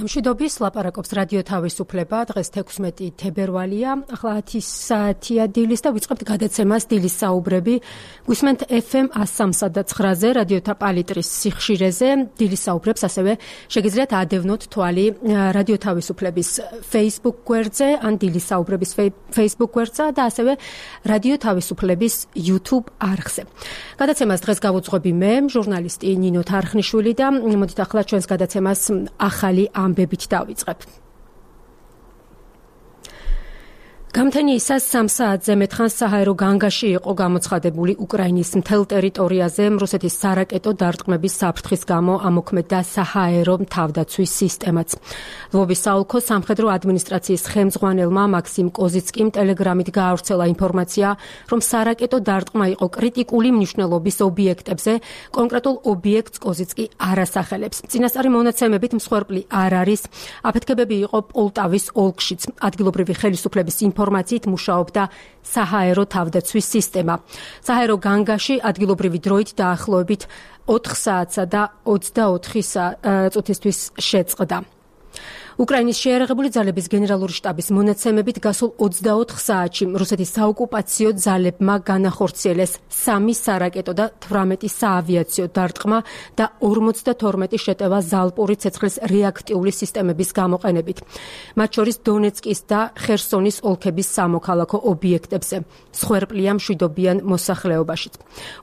მშვიდობის ლაპარაკობს რადიო თავისუფლება. დღეს 16 თებერვალია. ახლა 10 საათია დილის და ვიწყებთ გადაცემას დილის საუბრები. გვისმენთ FM 103.9-ზე რადიოთა პალიტრის სიხშირეზე. დილის საუბრებს ასევე შეგიძლიათ ადევნოთ თვალი რადიო თავისუფლების Facebook გვერდზე ან დილის საუბრების Facebook გვერდზე და ასევე რადიო თავისუფლების YouTube არხზე. გადაცემას დღეს გავუძღვები მე, ჟურნალისტი ნინო თარხნიშვილი და მოდით ახლა ჩვენს გადაცემას ახალი ამბებით დავიწყებ. გამთენიისას 3 საათზე მეტხანს საჰაერო განგაში იყო გამოცხადებული უკრაინის მთელ ტერიტორიაზე რუსეთის სარაკეტო დარტყმების საფრთხის გამო ამოქმედდა საჰაერო თავდაცვის სისტემაც. ლვოვის საოლქო სამხედრო ადმინისტრაციის ხელმძღვანელმა მაქსიმ კოზიცკიმ ტელეგრამით გაავრცელა ინფორმაცია, რომ სარაკეტო დარტყმა იყო კრიტიკული მნიშვნელობის ობიექტებზე, კონკრეტულ ობიექტს კოზიცკი არ ასახელებს. წინასწარი მონაცემებით მსხვერპლი არ არის. აფეთქებები იყო პოლტავის ოლქშიც. ადგილობრივი ხელისუფლების ინფორმაციით მუშაობდა საჰაერო თავდაცვის სისტემა. საჰაერო განგაში ადგილობრივი დროით დაახლოებით 4 საათსა და 24 წუთისთვის შეწყდა. უკრაინის შეიარაღებული ძალების გენერალური შტაბის მონაცემებით გასულ 24 საათში რუსეთის საოკუპაციო ძალებმა განახორციელეს 3 სარაკეტო და 18 საავიაციო დარტყმა და 52 შეტევა ზალპური ცეცხლის რეაქტიული სისტემების გამოყენებით. მათ შორის დონეცკის და ხერსონის ოლქების სამოქალაქო ობიექტებზე. მსხვერპლია მშვიდობიან მოსახლეობაშიც.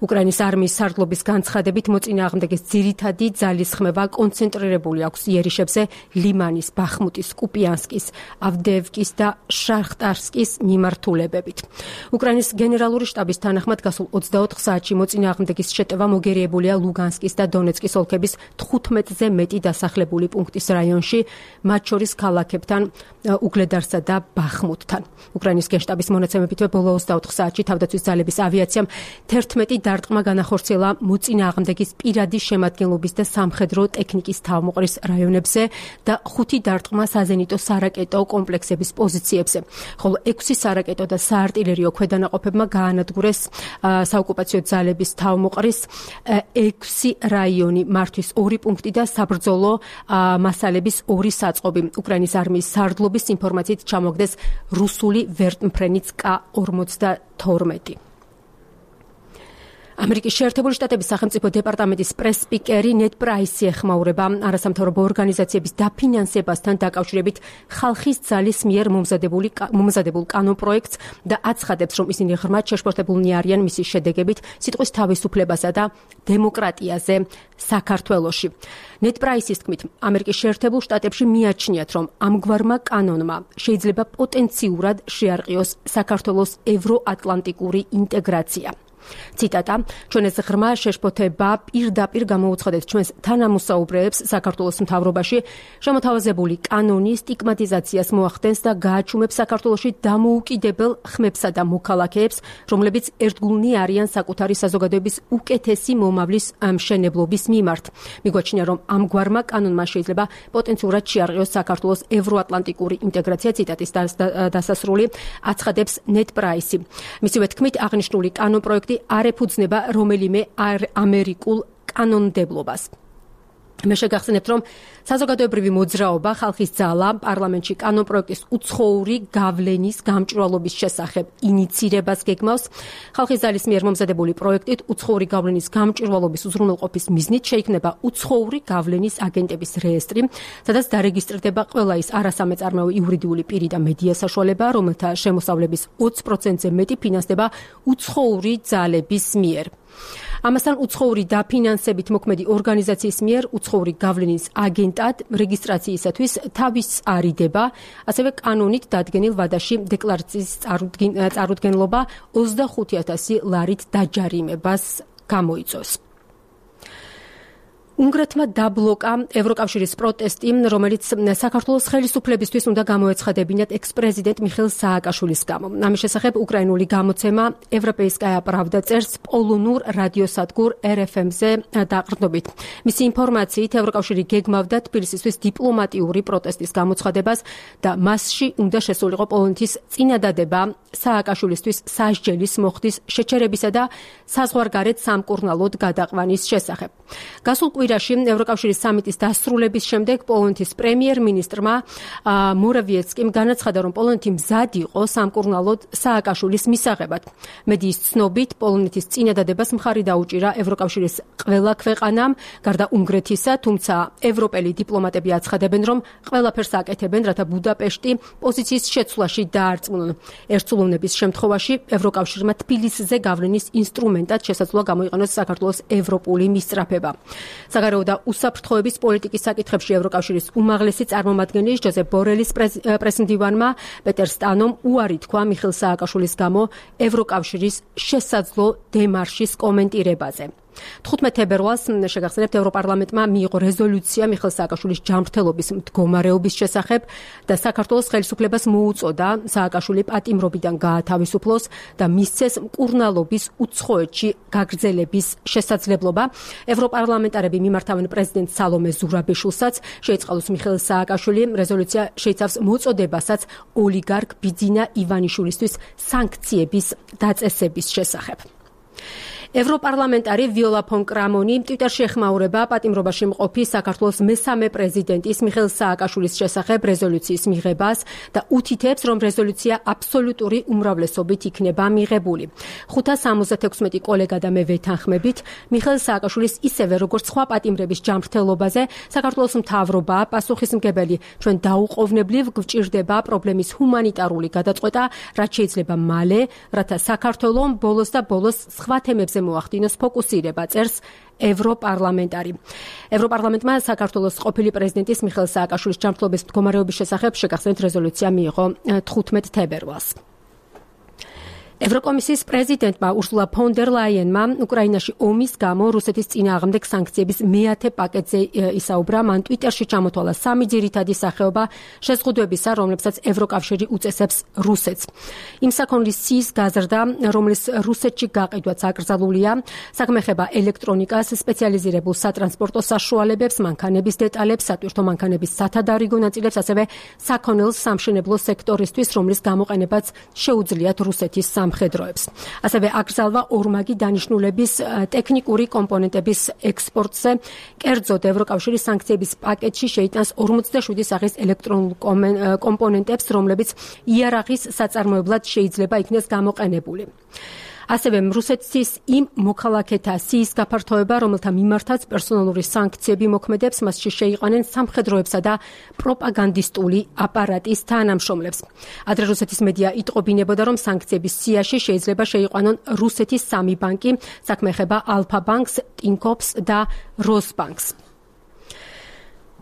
უკრაინის არმიის სარდლობის განცხადებით მოწინააღმდეგეს ძირითადი ძალისხმევა კონცენტრირებული აქვს იერიშებზე ლიმანის, ბახმუტის, კუპიანსკის, ავდეევკის და შახტარსკის მიმართულებებით. უკრაინის გენერალური შტაბის თანახმად გასულ 24 საათში მოწინააღმდეგის შეტევა მოგერიებულია ლუგანსკის და დონეცკის ოლქების 15-ზე მეტი დასახლებული პუნქტის რაიონში, მათ შორის ქალაქებთან უგლედარსა და ბახმუტთან. უკრაინის გენშტაბის მონაცემებით ბოლო 24 საათში თავდაცვის ძალების ავიაციამ 11 დარტყმა განახორციელა მოწინააღმდეგის პირადი შემადგენლობის და სამხედრო ტექნიკის თავმოყრის რაიონებზე და 5 დარტყმა საზენიტო სარაკეტო კომპლექსების პოზიციებზე, ხოლო 6 სარაკეტო და საარტილერიო ქვედანაყოფებმა გაანადგურეს საოკუპაციო ძალების თავმოყრის 6 რაიონი, მართვის 2 პუნქტი და საბრძოლო მასალების 2 საწყობი. უკრაინის არმიის სარდლობის ინფორმაციით ჩამოგდეს რუსული ვერტმფრენიც K-52. ამერიკის შეერთებული შტატების სახელმწიფო დეპარტამენტის პრეს-სპიკერი ნედ პრაისი ეხმაურება არასამთავრობო ორგანიზაციების დაფინანსებასთან დაკავშირებით ხალხის ძალის მიერ მომზადებულ კანონპროექტს და აცხადებს, რომ ისინი ღრმად შეშფოთებულნი არიან მისი შედეგებით სიტყვის თავისუფლებასა და დემოკრატიაზე საქართველოში. ნედ პრაისის თქმით, ამერიკის შეერთებულ შტატებში მიაჩნიათ, რომ ამგვარმა კანონმა შეიძლება პოტენციურად შეარყიოს საქართველოს ევროატლანტიკური ინტეგრაცია. ციტატა: ჩვენ ეს ღრმა შეშფოთება პირდაპირ გამოუცხადეთ ჩვენს თანამოსაუბრეებს საქართველოს მთავრობაში, შემოთავაზებული კანონი სტიგმატიზაციას მოახდენს და გააჩუმებს საქართველოში დამოუკიდებელ ხმებსა და მოქალაქეებს, რომლებიც ერთგულნი არიან საკუთარი საზოგადოების უკეთესი მომავლის მშენებლობის მიმართ. მიგვაჩნია, რომ ამგვარმა კანონმა შეიძლება პოტენციურად შეარყიოს საქართველოს ევროატლანტიკური ინტეგრაცია. ციტატის დასასრული აცხადებს ნედ პრაისი. მისივე თქმით, აღნიშნული კანონპროექტი არ ეფუძნება რომელიმე ამერიკულ კანონმდებლობას. მე შეგახსენებთ, რომ საზოგადოებრივი მოძრაობა ხალხის ძალა პარლამენტში კანონპროექტის უცხოური გავლენის გამჭვირვალობის შესახებ ინიცირებას გეგმავს. ხალხის ძალის მიერ მომზადებული პროექტით უცხოური გავლენის გამჭვირვალობის უზრუნველყოფის მიზნით შეიქმნება უცხოური გავლენის აგენტების რეესტრი, სადაც დარეგისტრირდება ყველა ის არასამეწარმეო იურიდიული პირი და მედია საშუალება, რომელთა შემოსავლების 20%-ზე მეტი ფინანსდება უცხოური ძალების მიერ. ამასთან უცხოური დაფინანსებით მოქმედი ორგანიზაციის მიერ უცხოური გავლენის აგენტად რეგისტრაციისათვის თავის არიდება, ასევე კანონით დადგენილ ვადაში დეკლარაციის წარუდგენლობა 25,000 ლარით დაჯარიმებას გამოიწვევს. უნგრეთმა დაბლოკა ევროკავშირის პროტესტი, რომელიც საქართველოს ხელისუფლებისთვის უნდა გამოეცხადებინათ ექს-პრეზიდენტ მიხეილ სააკაშვილის გამო. ამის შესახებ უკრაინული გამოცემა ევროპეისკაია პრავდა წერს პოლონურ რადიოსადგურ RFM-ზე დაყრდნობით. მისი ინფორმაციით, ევროკავშირი გეგმავდა თბილისისთვის დიპლომატიური პროტესტის გამოცხადებას და მასში უნდა შესულიყო პოლონეთის წინადადება სააკაშვილისთვის სასჯელის მოხდის შეჩერებისა და საზღვარგარეთ სამკურნალოდ გადაყვანის შესახებ. გასულ კვირაში ევროკავშირის სამიტის დასრულების შემდეგ პოლონეთის პრემიერ-მინისტრმა მორავიეცკიმ განაცხადა, რომ პოლონეთი მზად იყო სამკურნალოდ სააკაშვილის მისაღებად. მედიის ცნობით, პოლონეთის წინადადებას მხარი დაუჭირა ევროკავშირის ყველა ქვეყანამ, გარდა უნგრეთისა, თუმცა ევროპელი დიპლომატები აცხადებენ, რომ ყველაფერს აკეთებენ, რათა ბუდაპეშტი პოზიციის შეცვლაში დაარწმუნონ. ერთსულოვნების შემთხვევაში ევროკავშირმა თბილისზე გავლენის ინსტრუმენტად შესაძლოა გამოიყენოს საქართველოს ევროპული მისწრაფება. საგარეო და უსაფრთხოების პოლიტიკის საკითხებში ევროკავშირის უმაღლესი წარმომადგენლის ჯოზეფ ბორელის პრესმდივანმა პეტერ სტანომ უარი თქვა მიხეილ სააკაშვილის გამო ევროკავშირის შესაძლო დემარშის კომენტირებაზე. 15 თებერვალს შეგახსენებთ, ევროპარლამენტმა მიიღო რეზოლუცია მიხეილ სააკაშვილის ჯანმრთელობის მდგომარეობის შესახებ და საქართველოს ხელისუფლებას მოუწოდა სააკაშვილი პატიმრობიდან გაათავისუფლოს და მისცეს მკურნალობის უცხოეთში გაგრძელების შესაძლებლობა. ევროპარლამენტარები მიმართავენ პრეზიდენტ სალომე ზურაბიშვილსაც, შეიწყალოს მიხეილ სააკაშვილი. რეზოლუცია შეიცავს მოწოდებასაც ოლიგარქ ბიძინა ივანიშვილისთვის სანქციების დაწესების შესახებ. ევროპარლამენტარი ვიოლა ფონ კრამონი ტვიტერში ეხმაურება პატიმრობაში მყოფი საქართველოს მესამე პრეზიდენტის მიხეილ სააკაშვილის შესახებ რეზოლუციის მიღებას და უთითებს, რომ რეზოლუცია აბსოლუტური უმრავლესობით იქნება მიღებული. 576 კოლეგა და მე ვეთანხმებით, მიხეილ სააკაშვილის ისევე როგორც სხვა პატიმრების ჯანმრთელობაზე საქართველოს მთავრობაა პასუხისმგებელი. ჩვენ დაუყოვნებლივ გვჭირდება პრობლემის ჰუმანიტარული გადაწყვეტა, რაც შეიძლება მალე, რათა საქართველოს ბოლოს და ბოლოს სხვა თემებზე მოახდინოს ფოკუსირება, წერს ევროპარლამენტარი. ევროპარლამენტმა საქართველოს ყოფილი პრეზიდენტის მიხეილ სააკაშვილის ჯანმრთელობის მდგომარეობის შესახებ შეგახსენებთ რეზოლუცია მიიღო 15 თებერვალს. ევროკომისიის პრეზიდენტმა ურსულა ფონ დერ ლაიენმა უკრაინაში ომის გამო რუსეთის წინააღმდეგ სანქციების მეათე პაკეტზე ისაუბრა. მან ტვიტერში ჩამოთვალა 3 ძირითადი სახეობა შეზღუდვებისა, რომლებსაც ევროკავშირი უწესებს რუსეთს. იმ საქონლის სიის გაზრდა, რომლის რუსეთში გაყიდვაც აკრძალულია, საქმე ეხება ელექტრონიკას, სპეციალიზირებულ სატრანსპორტო საშუალებებს, მანქანების დეტალებს, სატვირთო მანქანების სათადარიგო ნაწილებს, ასევე საქონელს სამშენებლო სექტორისთვის, რომლის გამოყენებაც შეუძლიათ რუსეთის სამხედროებს. ასევე აკრძალვა ორმაგი დანიშნულების ტექნიკური კომპონენტების ექსპორტზე. კერძოდ, ევროკავშირის სანქციების პაკეტში შეიტანს 47 სახის ელექტრონულ კომპონენტებს, რომლებიც იარაღის საწარმოებლად შეიძლება იქნეს გამოყენებული. ასევე რუსეთის იმ მოქალაქეთა სიის გაფართოება, რომელთა მიმართაც პერსონალური სანქციები მოქმედებს, მასში შეიყვანენ სამხედროებსა და პროპაგანდისტული აპარატის თანამშრომლებს. ადრე რუსეთის მედია იტყობინებოდა, რომ სანქციების სიაში შეიძლება შეიყვანონ რუსეთის 3 ბანკი, საქმე ეხება ალფა ბანკს, ტინკოფს და როსბანკს.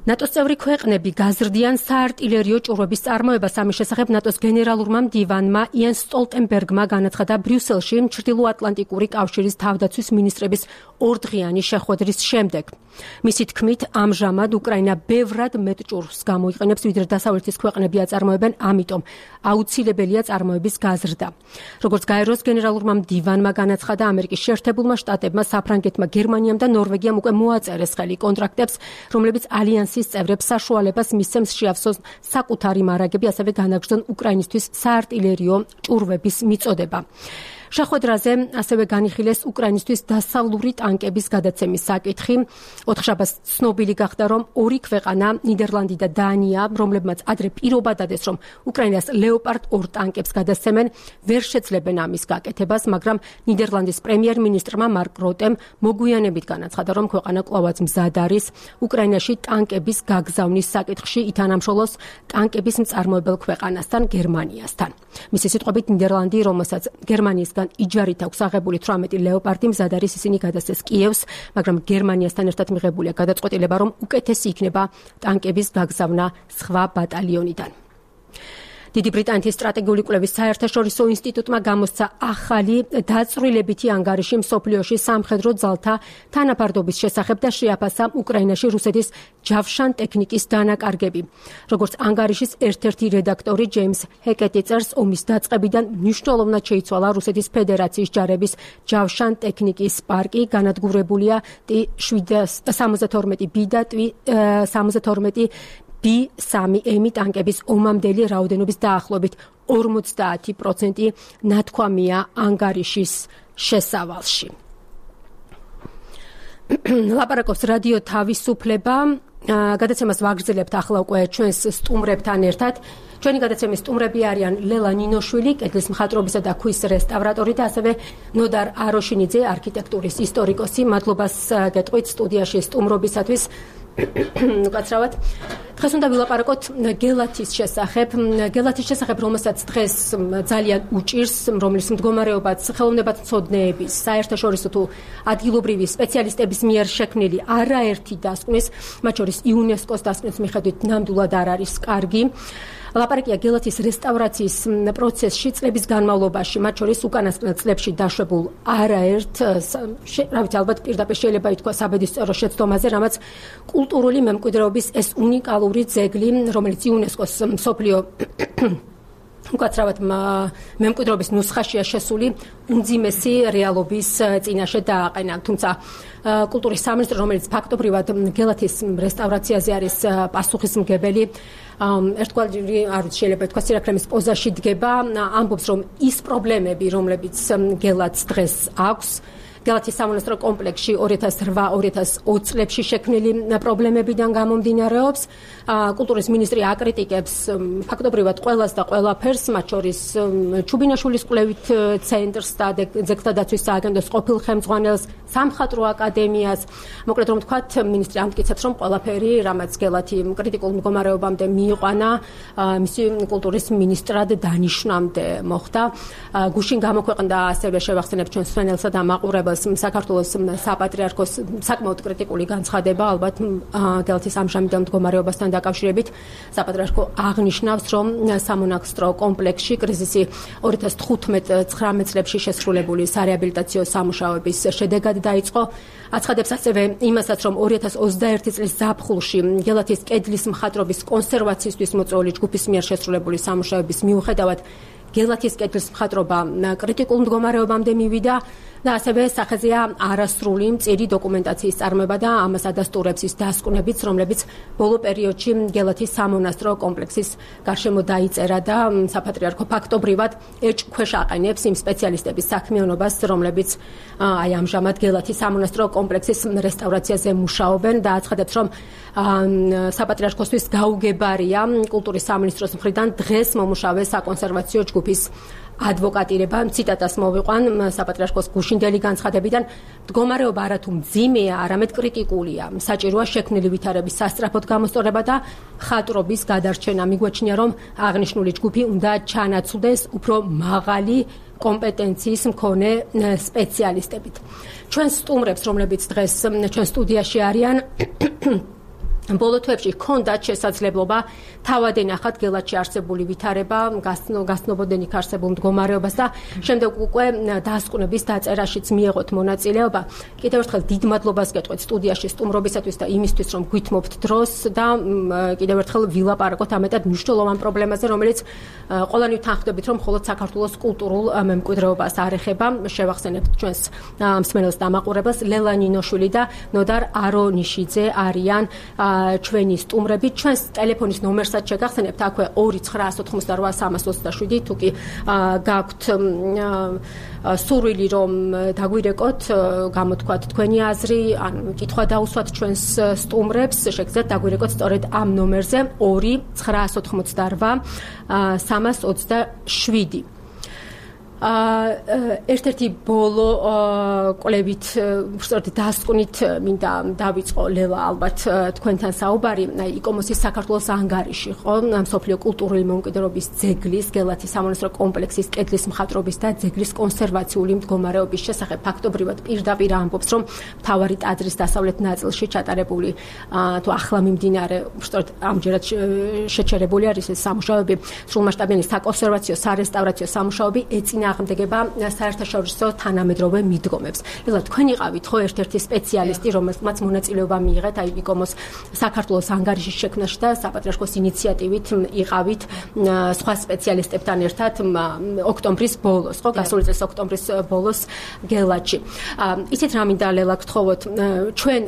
ნატოს წევრი ქვეყნები გაზრდიან საარტილერიო ჭურვების წარმოებას. ამის შესახებ ნატოს გენერალურმა მდივანმა იენს სტოლტენბერგმა განაცხადა ბრიუსელში ჩრდილოატლანტიკური კავშირის თავდაცვის მინისტრების ორდღიანი შეხვედრის შემდეგ. მისი თქმით, ამჟამად უკრაინა ბევრად მეტ ჭურვს გამოიყენებს, ვიდრე დასავლეთის ქვეყნები აწარმოებენ, ამიტომ აუცილებელია წარმოების გაზრდა. როგორც გაეროს გენერალურმა მდივანმა განაცხადა, ამერიკის შეერთებულმა შტატებმა, საფრანგეთმა, გერმანიამ და ნორვეგიამ უკვე მოაწერეს ხელი კონტრაქტებს, რომლებიც ალიანსის წევრებს საშუალებას მისცემს შეავსოს საკუთარი მარაგები, ასევე განაგრძონ უკრაინისთვის საარტილერიო ჭურვების მიწოდება. შეხვედრაზე ასევე განიხილეს უკრაინისთვის დასავლური ტანკების გადაცემის საკითხი. ოთხშაბათს ცნობილი გახდა, რომ ორი ქვეყანა, ნიდერლანდი და დანია, რომლებმაც ადრე პირობა დადეს, რომ უკრაინას ლეოპარდ 2 ტანკებს გადასცემენ, ვერ შეძლებენ ამის გაკეთებას, მაგრამ ნიდერლანდის პრემიერ-მინისტრმა მარკ როტემ მოგვიანებით განაცხადა, რომ ქვეყანა კვლავაც მზად არის უკრაინაში ტანკების გაგზავნის საკითხში ითანამშრომლოს ტანკების მწარმოებელ ქვეყანასთან, გერმანიასთან. მისი სიტყვებით, ნიდერლანდი, რომელსაც გერმანიისგან იჯარით აქვს აღებული 18 ლეოპარდი, მზად არის ისინი გადასცეს კიევს, მაგრამ გერმანიასთან ერთად მიღებულია გადაწყვეტილება, რომ უკეთესი იქნება ტანკების გაგზავნა სხვა ბატალიონიდან. დიდი ბრიტანეთის სტრატეგიული კვლევის საერთაშორისო ინსტიტუტმა გამოსცა ახალი დაწვრილებითი ანგარიში მსოფლიოში სამხედრო ძალთა თანაფარდობის შესახებ და შეაფასა უკრაინაში რუსეთის ჯავშან ტექნიკის დანაკარგები. როგორც ანგარიშის ერთ-ერთი რედაქტორი ჯეიმს ჰეკეტი წერს, ომის დაწყებიდან მნიშვნელოვნად შეიცვალა რუსეთის ფედერაციის ჯარების ჯავშან ტექნიკის პარკი, განადგურებულია T-72B და T-72 B3M ტანკების ომამდელი რაოდენობის დაახლოებით 50% ნათქვამია ანგარიშის შესავალში. ლაპარაკობს რადიო თავისუფლება. გადაცემას ვაგრძელებთ ახლა უკვე ჩვენს სტუმრებთან ერთად. ჩვენი გადაცემის სტუმრები არიან ლელა ნინოშვილი, კედლის მხატვრობისა და ქვის რესტავრატორი და ასევე ნოდარ აროშინიძე, არქიტექტურის ისტორიკოსი. მადლობას გეტყვით სტუდიაში სტუმრობისათვის. უკაცრავად. დღეს უნდა ვილაპარაკოთ გელათის შესახებ. გელათის შესახებ, რომელსაც დღეს ძალიან უჭირს, რომლის მდგომარეობაც ხელოვნებათმცოდნეების, საერთაშორისო თუ ადგილობრივი სპეციალისტების მიერ შექმნილი არაერთი დასკვნის, მათ შორის იუნესკოს დასკვნის მიხედვით ნამდვილად არ არის კარგი. ლაპარაკია გელათის რესტავრაციის პროცესში წლების განმავლობაში, მათ შორის უკანასკნელ წლებში დაშვებულ არაერთ, რა ვიცი, ალბათ პირდაპირ შეიძლება ითქვას საბედისწერო შეცდომაზე, რამაც კულტურული მემკვიდრეობის ეს უნიკალური ძეგლი, რომელიც იუნესკოს მსოფლიო უკაცრავად მემკვიდრეობის ნუსხაშია შესული, უმძიმესი რეალობის წინაშე დააყენა. თუმცა კულტურის სამინისტრო, რომელიც ფაქტობრივად გელათის რესტავრაციაზე არის პასუხისმგებელი, ერთგვარი არ ვიცი, შეიძლება ითქვას სირაქლემის პოზაში დგება, ამბობს, რომ ის პრობლემები, რომლებიც გელათს დღეს აქვს, გელათის სამონასტრო კომპლექსში 2008-2020 წლებში შექმნილი პრობლემებიდან გამომდინარეობს. კულტურის მინისტრი აკრიტიკებს ფაქტობრივად ყველას და ყველაფერს, მათ შორის ჩუბინაშვილის კვლევით ცენტრს და ძეგლთა დაცვის სააგენტოს ყოფილ ხელმძღვანელს, სამხატვრო აკადემიას. მოკლედ რომ ვთქვათ, მინისტრი ამტკიცებს, რომ ყველაფერი, რამაც გელათი კრიტიკულ მდგომარეობამდე მიიყვანა, მისი კულტურის მინისტრად დანიშვნამდე მოხდა. გუშინ გამოქვეყნდა ასევე შევახსენებ ჩვენ სვენელსა და მაყურებელს საქართველოს საპატრიარქოს საკმაოდ კრიტიკული განცხადება, ალბათ გელათის ამჟამინდელ მდგომარეობასთან დაკავშირებით. საპატრიარქო აღნიშნავს, რომ სამონასტრო კომპლექსში კრიზისი 2015-19 წლებში შესრულებული სარეაბილიტაციო სამუშაოების შედეგად დაიწყო. აცხადებს ასევე იმასაც, რომ 2021 წლის ზაფხულში გელათის კედლის მხატვრობის კონსერვაციისთვის მოწვეული ჯგუფის მიერ შესრულებული სამუშაოების მიუხედავად გელათის კედლის მხატვრობა კრიტიკულ მდგომარეობამდე მივიდა და ასევე სახეზეა არასრული მწირი დოკუმენტაციის წარმოება და ამას ადასტურებს ის დასკვნებიც, რომლებიც ბოლო პერიოდში გელათის სამონასტრო კომპლექსის გარშემო დაიწერა და საპატრიარქო ფაქტობრივად ეჭვქვეშ აყენებს იმ სპეციალისტების საქმიანობას, რომლებიც აი ამჟამად გელათის სამონასტრო კომპლექსის რესტავრაციაზე მუშაობენ და აცხადებს, რომ საპატრიარქოსთვის გაუგებარია კულტურის სამინისტროს მხრიდან დღეს მომუშავე საკონსერვაციო ჯგუფის ადვოკატირება. ციტატას მოვიყვან საპატრიარქოს გუშინდელი განცხადებიდან, მდგომარეობა არათუ მძიმეა, არამედ კრიტიკულია. საჭიროა შექმნილი ვითარების სასწრაფოდ გამოსწორება და ხატრობის გადარჩენა. მიგვაჩნია, რომ აღნიშნული ჯგუფი უნდა ჩანაცვლდეს უფრო მაღალი კომპეტენციის მქონე სპეციალისტებით. ჩვენ სტუმრებს, რომლებიც დღეს ჩვენ სტუდიაში არიან, ბოლო თვეებში ჰქონდათ შესაძლებლობა თავად ენახათ გელათში არსებული ვითარება, გასნობოდნენ იქ არსებულ მდგომარეობას და შემდეგ უკვე დასკვნების დაწერაშიც მიეღოთ მონაწილეობა. კიდევ ერთხელ დიდ მადლობას გეტყვით სტუდიაში სტუმრობისათვის და იმისთვის, რომ გვითმობთ დროს და კიდევ ერთხელ ვილაპარაკოთ ამეტად მნიშვნელოვან პრობლემაზე, რომელიც ყველანი თანხმდებით, რომ მხოლოდ საქართველოს კულტურულ მემკვიდრეობას არ ეხება. შევახსენებთ ჩვენს მსმენელს და მაყურებელს, ლელა ნინოშვილი და ნოდარ არონიშიძე არიან ჩვენი სტუმრები. ჩვენს ტელეფონის ნომერსაც შეგახსენებთ, აქვე 2988327, თუ კი გაქვთ სურვილი, რომ დაგვირეკოთ, გამოთქვათ თქვენი აზრი, ან კითხვა დაუსვათ ჩვენს სტუმრებს, შეგიძლიათ დაგვირეკოთ სწორედ ამ ნომერზე 2988327. ერთ-ერთი ბოლო კვლევით, სწორედ დასკვნით მინდა დავიწყო ლელა ალბათ თქვენთან საუბარი. იკომოსის საქართველოს ანგარიში, ხო, მსოფლიო კულტურული მემკვიდრეობის ძეგლის, გელათის სამონასტრო კომპლექსის კედლის მხატვრობის და ძეგლის კონსერვაციული მდგომარეობის შესახებ ფაქტობრივად პირდაპირ ამბობს, რომ მთავარი ტაძრის დასავლეთ ნაწილში ჩატარებული თუ ახლა მიმდინარე, სწორედ ამჯერად შეჩერებული არის ეს სამუშაოები, სრულმასშტაბიანი საკონსერვაციო, სარესტავრაციო სამუშაოები ეწინააღმდეგება საერთაშორისო თანამედროვე მიდგომებს. ლელა, თქვენ იყავით ხო ერთ-ერთი სპეციალისტი, რომელმაც მონაწილეობა მიიღეთ აი იკომოს საქართველოს ანგარიშის შექმნაში და საპატრიარქოს ინიციატივით იყავით სხვა სპეციალისტებთან ერთად ოქტომბრის ბოლოს, ხო, გასული წლის ოქტომბრის ბოლოს გელათში. ისიც რა მინდა ლელა გთხოვოთ, ჩვენ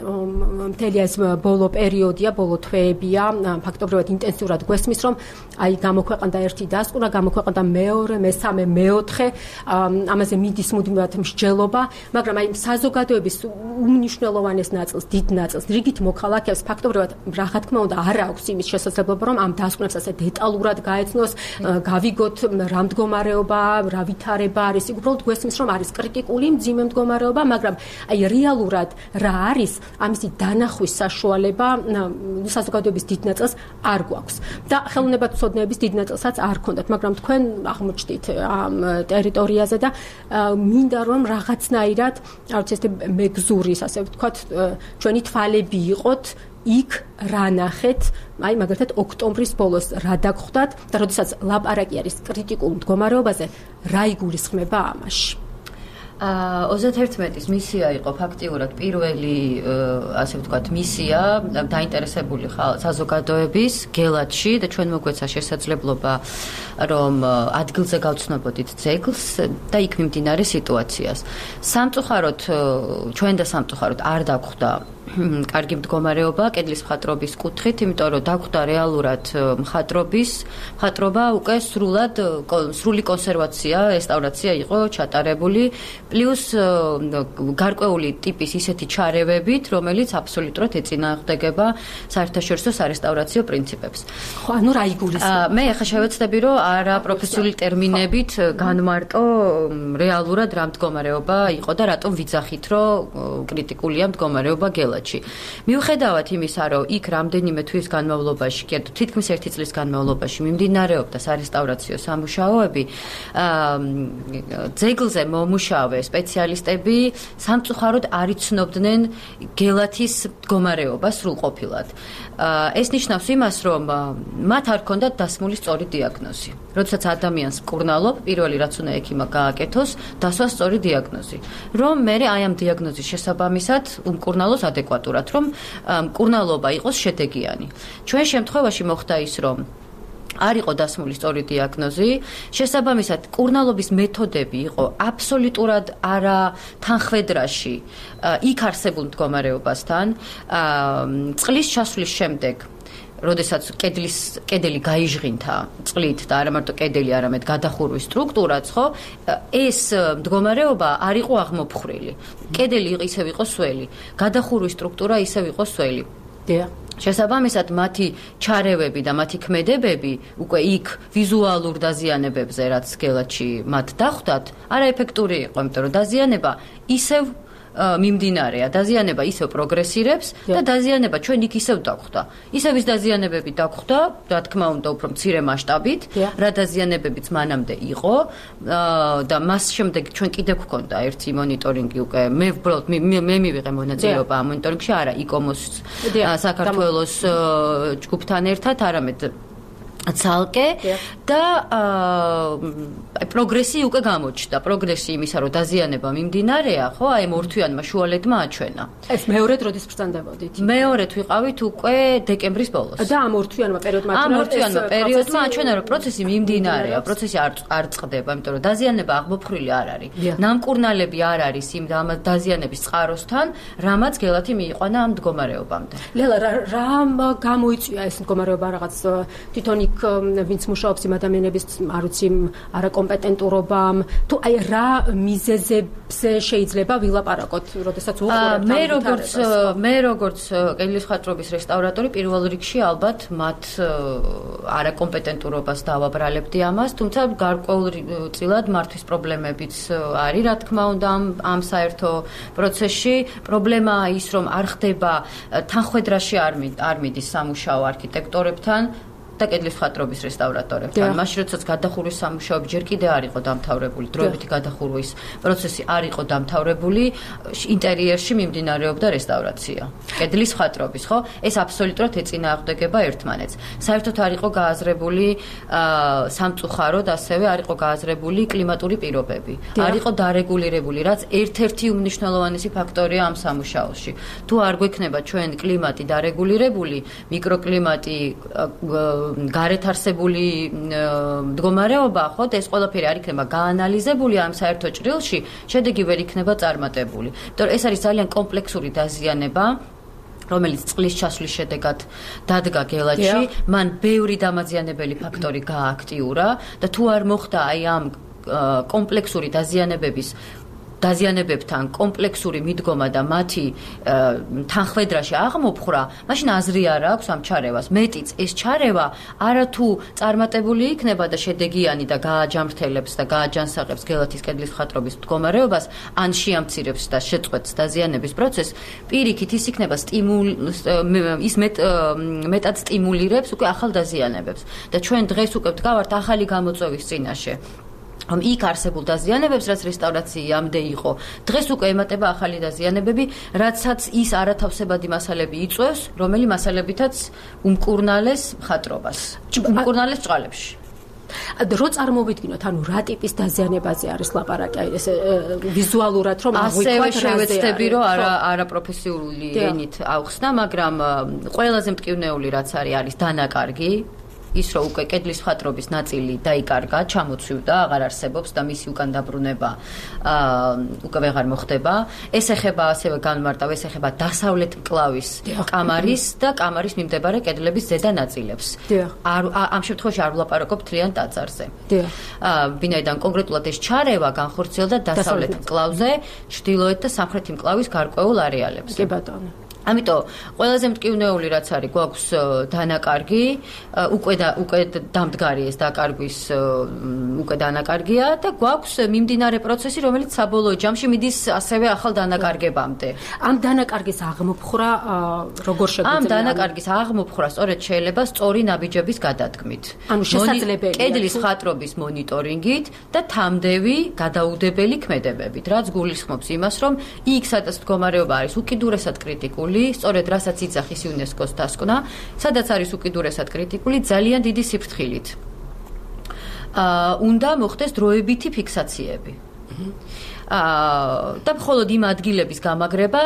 მთელი ეს ბოლო პერიოდია, ბოლო თვეებია, ფაქტობრივად ინტენსიურად გვესმის, რომ აი გამოქვეყნდა ერთი დასკვნა, გამოქვეყნდა მეორე, მესამე, მეოთხე ნახე, ამაზე მიდის მუდმივად მსჯელობა, მაგრამ აი საზოგადოების უმნიშვნელოვანეს ნაწილს, დიდ ნაწილს რიგით მოქალაქეებს ფაქტობრივად რა თქმა უნდა არ აქვს იმის შესაძლებლობა, რომ ამ დასკვნებს ასე დეტალურად გაეცნოს, გავიგოთ რა მდგომარეობა, რა ვითარება არის, უბრალოდ გვესმის რომ არის კრიტიკული მძიმე მდგომარეობა, მაგრამ აი რეალურად რა არის ამისი დანახვის საშუალება საზოგადოების დიდ ნაწილს არ გვაქვს და ხელოვნებათმცოდნეების დიდ ნაწილსაც არ ქონდათ, მაგრამ თქვენ აღმოჩნდით ამ ტერიტორიაზე და მინდა რომ რაღაცნაირად არ ვიცი ესე მეგზურის ასე ვთქვათ ჩვენი თვალები იყოთ იქ რა ნახეთ, აი მაგალითად ოქტომბრის ბოლოს რა დაგხვდათ და როდესაც ლაპარაკი არის კრიტიკულ მდგომარეობაზე, რა იგულისხმება ამაში? 31-ის მისია იყო ფაქტიურად პირველი, ასე ვთქვათ, მისია დაინტერესებული საზოგადოების გელათში და ჩვენ მოგვეცა შესაძლებლობა რომ ადგილზე გავცნობოდით ძეგლს და იქ მიმდინარე სიტუაციას. Სამწუხაროდ ჩვენ და სამწუხაროდ არ დაგხვდა კარგი მდგომარეობა კედლის მხატვრობის კუთხით, იმიტომ რომ დაგხვდა რეალურად მხატვრობა უკვე სრული კონსერვაცია, რესტავრაცია იყო ჩატარებული, პლუს გარკვეული ტიპის ისეთი ჩარევებით, რომელიც აბსოლუტურად ეწინააღმდეგება საერთაშორისო სარესტავრაციო პრინციპებს. ხო, ანუ რა იგულისხმება? მე ახლა შევეცდები, რომ არა პროფესიული ტერმინებით განმარტო რეალურად რა მდგომარეობა იყო და რატომ ვიძახით, რომ კრიტიკულია მდგომარეობა გელათში. მიუხედავად იმისა, რომ იქ რამდენიმე თვის განმავლობაში, თითქმის 1 წლის განმავლობაში მიმდინარეობდა სარესტავრაციო სამუშაოები, ძეგლზე მომუშავე სპეციალისტები სამწუხაროდ არ იცნობდნენ გელათის მდგომარეობას სრულყოფილად. ეს ნიშნავს იმას, რომ მათ არ ჰქონდათ დასმული სწორი დიაგნოზი. როდესაც ადამიანს მკურნალობ, პირველი რაც უნდა ექიმა გააკეთოს, დასვა სწორი დიაგნოზი. რომ მე აი ამ დიაგნოზის შესაბამისად უმკურნალოს ადეკვატურად, რომ მკურნალობა იყოს შედეგიანი. ჩვენ შემთხვევაში მოხდა ის, რომ არ იყო დასმული სწორი დიაგნოზი, შესაბამისად მკურნალობის მეთოდები იყო აბსოლუტურად არა თანხვედრაში იქ არსებულ მდგომარეობასთან. წყლის ჩასვლის შემდეგ როდესაც კედელი გაიჟღინთა წყლით და არა მარტო კედელი, არამედ გადახურვის სტრუქტურაც, ხო, ეს მდგომარეობა არ იყო აღმოფხრილი. კედელი ისევ იყო სველი, გადახურვის სტრუქტურა ისევ იყო სველი. შესაბამისად მათი ჩარევები და მათი ქმედებები უკვე იქ ვიზუალურ დაზიანებებზე, რაც გელათში მათ დახვდათ, არაეფექტური იყო, იმიტომ რომ დაზიანება ისევ მიმდინარეა, დაზიანება ისევ პროგრესირებს და დაზიანება ჩვენ იქ ისევ დაგვხდა. ისევ ის დაზიანებები დაგვხდა, რა თქმა უნდა, უფრო მცირე მასშტაბით, რა დაზიანებებიც მანამდე იყო და მას შემდეგ ჩვენ კიდე გვქონდა ერთი მონიტორინგი უკვე. მე უბრალოდ მე მივიღე მონაწილეობა ამ მონიტორინგში, არა იკომოს საქართველოს ჯგუფთან ერთად, არამედ ცალკე და პროგრესი უკვე გამოჩნდა. პროგრესი იმისა, რომ დაზიანება მიმდინარეა, ხო, აი მორთვიანმა შუალედმა აჩვენა. ეს მეორედ როდის ბრძანდებოდით? მეორედ ვიყავით უკვე დეკემბრის ბოლოს. და ამ მორთვიანმა პერიოდმა აჩვენა, რომ პროცესი მიმდინარეა, პროცესი არ წყდება, იმიტომ რომ დაზიანება აღმოფხრილი არ არის. ნამკურნალები არ არის იმ დაზიანების წყაროსთან, რამაც გელათი მიიყვანა ამ მდგომარეობამდე. ლელა, რა გამოიწვია ეს მდგომარეობა რაღაც თვითონ ვინც მუშაობს იმ ადამიანების, არ ვიცი, არაკომპეტენტურობამ, თუ აი რა მიზეზებზე შეიძლება ვილაპარაკოთ, როდესაც უყურებთ ამ ვითარებას? მე როგორც კედლის მხატვრობის რესტავრატორი პირველ რიგში ალბათ მათ არაკომპეტენტურობას დავაბრალებდი ამას, თუმცა გარკვეულწილად მართვის პრობლემებიც არის, რა თქმა უნდა, ამ საერთო პროცესში. პრობლემაა ის, რომ არ ხდება თანხვედრაში არ მიდის სამუშაო არქიტექტორებთან და კედლის მხატვრობის რესტავრატორებთან. მაშინ როდესაც გადახურვის სამუშაოები ჯერ კიდე არ იყო დამთავრებული, დროებითი გადახურვის პროცესი არ იყო დამთავრებული, ინტერიერში მიმდინარეობდა რესტავრაცია. კედლის მხატვრობის, ხო? ეს აბსოლუტურად ეწინააღმდეგება ერთმანეთს. საერთოდ არ იყო გააზრებული სამწუხაროდ, ასევე არ იყო გააზრებული კლიმატური პირობები. არ იყო დარეგულირებული, რაც ერთ-ერთი უმნიშვნელოვანესი ფაქტორია ამ სამუშაოში. თუ არ გვექნება ჩვენ კლიმატი დარეგულირებული, მიკროკლიმატი გარეთ არსებული მდგომარეობა, ხო, ეს ყველაფერი არ იქნება გაანალიზებული ამ საერთო ჭრილში, შედეგი ვერ იქნება წარმატებული. იმიტომ ეს არის ძალიან კომპლექსური დაზიანება, რომელიც წყლის ჩასვლის შედეგად დადგა გელათში, მან ბევრი დამაზიანებელი ფაქტორი გააქტიურა და თუ არ მოხდა აი ამ კომპლექსური დაზიანებებთან კომპლექსური მიდგომა და მათი თანხმედრაში აღმოფხრა, მაშინ აზრი არ აქვს ამ ჩარევას. მეტიც ეს ჩარევა არათუ წარმატებული იქნება და შედეგიანი და გააჯამრთელებს და გააჯანსაღებს გელათის კედლის მხატვრობის მდგომარეობას, ან შეამცირებს და შეწყვეტს დაზიანების პროცესს, პირიქით ის იქნება მეტად სტიმულირებს უკვე ახალ დაზიანებებს. და ჩვენ დღეს უკვე ვდგავართ ახალი გამოწვევის წინაშე. იქ არსებულ დაზიანებებს, რაც რესტავრაციამდე იყო, დღეს უკვე ემატება ახალი დაზიანებები, რაცაც ის არათავსებადი მასალები იწვევს, რომელი მასალებითაც უმკურნალეს მხატვრობას, უმკურნალეს ბრწყალებში. რო წარმოვიდგინოთ, ანუ რა ტიპის დაზიანებაზე არის ლაპარაკი, აი ეს ვიზუალურად რომ აღვიქვათ რაზე. შევეცდები, რომ არაპროფესიული ენით ავხსნა, მაგრამ ყველაზე მტკივნეული რაც არის დანაკარგი. ის რომ უკვე კედლის მხატვრობის ნაწილი დაიკარგა, ჩამოცვიდა, აღარ არსებობს და მისი უკან დაბრუნება უკვე ვეღარ მოხდება. ეს ეხება ასევე განმარტავ, ეს ეხება დასავლეთ მკლავის კამარის და კამარის მიმდებარე კედლების ზედა ნაწილებს. ამ შემთხვევაში არ ვლაპარაკობ მთლიან ტაძარზე. ვინაიდან კონკრეტულად ეს ჩარევა განხორციელდა დასავლეთ მკლავზე, ჩრდილოეთ და სამხრეთი მკლავის გარკვეულ არეალებზე. კი ბატონო. ამიტომ ყველაზე მტკივნეული რაც არის, გვაქვს დანაკარგი, უკვე დამდგარი ეს დაკარგვის უკვე დანაკარგია და გვაქვს მიმდინარე პროცესი, რომელიც საბოლოო ჯამში მიდის ასევე ახალ დანაკარგებამდე. ამ დანაკარგის აღმოფხრა როგორ შეგვიძლია? ამ დანაკარგის აღმოფხრა სწორედ შეიძლება სწორი ნაბიჯების გადადგმით. ანუ შესაძლებელია კედლის მხატვრობის მონიტორინგით და თამდევი გადაუდებელი ქმედებებით, რაც გულისხმობს იმას, რომ იქ სადაც მდგომარეობა არის უკიდურესად კრიტიკული, სწორედ რასაც იძახის იუნესკოს დასკვნა, სადაც არის უკიდურესად კრიტიკული, ძალიან დიდი სიფრთხილით. უნდა მოხდეს დროებითი ფიქსაციები. და მხოლოდ იმ ადგილების გამაგრება,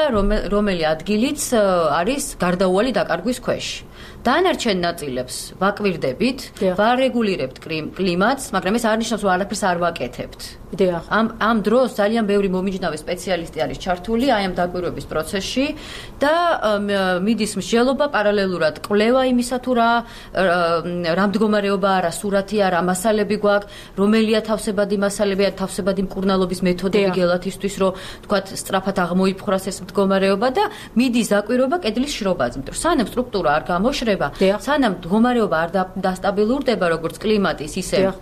რომელი ადგილიც არის გარდაუვალი დაკარგვის ქვეშ. დანარჩენ ნაწილებს ვაკვირდებით, ვარეგულირებთ კლიმატს, მაგრამ ეს არ ნიშნავს, რომ არაფერს არ ვაკეთებთ. ამ დროს ძალიან ბევრი მომიჯნავე სპეციალისტი არის ჩართული აი ამ დაკვირვების პროცესში და მიდის მსჯელობა პარალელურად კვლევა იმისა თუ რა მდგომარეობაა, რა სურათია, რა მასალები გვაქვს, რომელია თავსებადი მასალებია, თავსებადი მკურნალობის მეთოდები გელათისთვის, რომ თქვათ სწრაფად აღმოიფხვრას ეს მდგომარეობა და მიდის დაკვირვება კედლის შრობაზე. სანამ სტრუქტურა არ გამოშრება, სანამ მდგომარეობა არ დასტაბილურდება, როგორც კლიმატის, ისე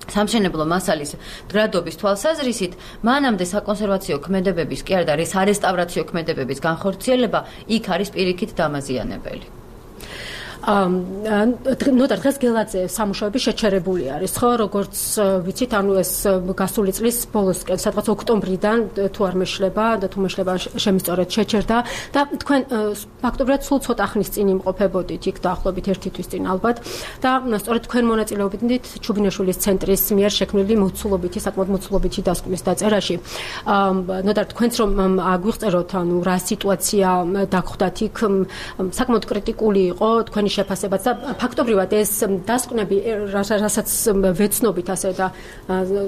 სამშენებლო მასალის მდგრადობის თვალსაზრისით, მანამდე საკონსერვაციო ქმედებების კი არა და სარესტავრაციო ქმედებების განხორციელება იქ არის პირიქით დამაზიანებელი. ნოტარ დღეს გელაძე სამუშაოები შეჩერებული არის, ხო, როგორც ვიცით, ანუ ეს გასული წლის ბოლოსკენ, სადღაც ოქტომბრიდან თუ არ მეშლება და თუ მეშლება შემისწორეთ შეჩერდა და თქვენ ფაქტობრივად სულ ცოტა ხნის წინ იმყოფებოდით იქ დაახლოებით 1 თვის წინ ალბათ და სწორედ თქვენ მონაწილეობდით ჩუბინაშვილის ცენტრის მიერ შექმნილი მოცულობითი, საკმაოდ მოცულობითი დასკვნის დაწერაში. ნოტარ თქვენც რომ აგვიღწეროთ, ანუ რა სიტუაცია დაგხვდათ იქ, საკმაოდ კრიტიკული იყო თქვენი შეფასებაც და ფაქტობრივად ეს დასკვნები, რასაც ვეცნობით ასე და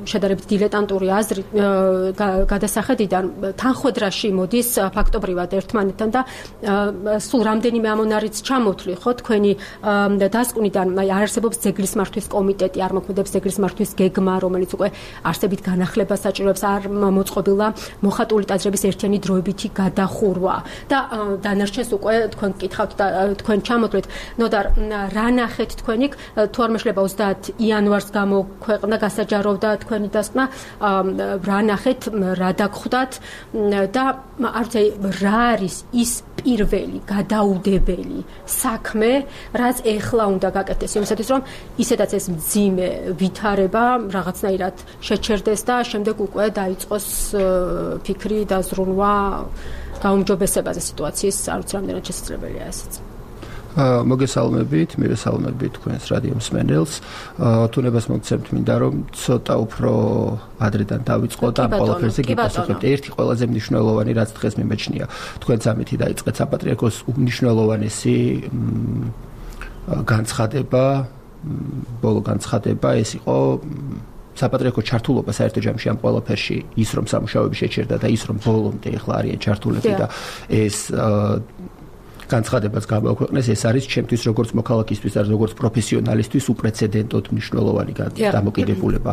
შედარებით დილეტანტური აზრით გადასახედიდან თანხwebdriverში მოდის ფაქტობრივად ერთმანეთთან და სულ რამდენიმე ამონარიც ჩამოთვლი, ხო, თქვენი დასკვნიდან არ არსებობს ძეგლის მართვის კომიტეტი, არ მოქმედებს ძეგლის მართვის გეგმა, რომელიც უკვე არსებით განახლებას საჭიროებს, არ მოწყობილა მოხატული ტაძრების ერთიანი დროებითი გადახურვა და დანარჩენს უკვე თქვენ გკითხავთ და თქვენ ჩამოთვლით. ნოდარ, რა ნახეთ თქვენ იქ, თუ არ მეშლება 30 იანვარს გამოქვეყნდა, გასაჯაროვდა თქვენი დასკვნა, რა ნახეთ, რა დაგხვდათ და არ ვიცი, რა არის ის პირველი გადაუდებელი საქმე, რაც ეხლა უნდა გაკეთდეს იმისათვის, რომ ისედაც ეს მძიმე ვითარება რაღაცნაირად შეჩერდეს და შემდეგ უკვე დაიწყოს ფიქრი და ზრუნვა გაუმჯობესებაზე სიტუაციის, არ ვიცი, რამდენად შესაძლებელია ესეც. მოგესალმებით, მივესალმებით თქვენს რადიო მსმენელს. თუნებას მოგცემთ მინდა რომ ცოტა უფრო ადრედან დავიწყო და ამ ყველაფერზე გიპასუხებთ. ერთი ყველაზე მნიშვნელოვანი რაც დღეს მიმეჩნია, თქვენ სამითი დაიწყეთ საპატრიარქოს უმნიშვნელოვანესი განცხადება, ბოლო განცხადება, ეს იყო საპატრიარქოს ჩართულობა საერთო ჯამში ამ ყველაფერში, ის რომ სამუშაოები შეჩერდა და ის რომ ბოლომდე ახლა არიან ჩართულები და ეს განცხადებაც გამოაქვეყნეს, ეს არის ჩემთვის როგორც მოქალაქისთვის და როგორც პროფესიონალისთვის უპრეცედენტოდ მნიშვნელოვანი დამოკიდებულება.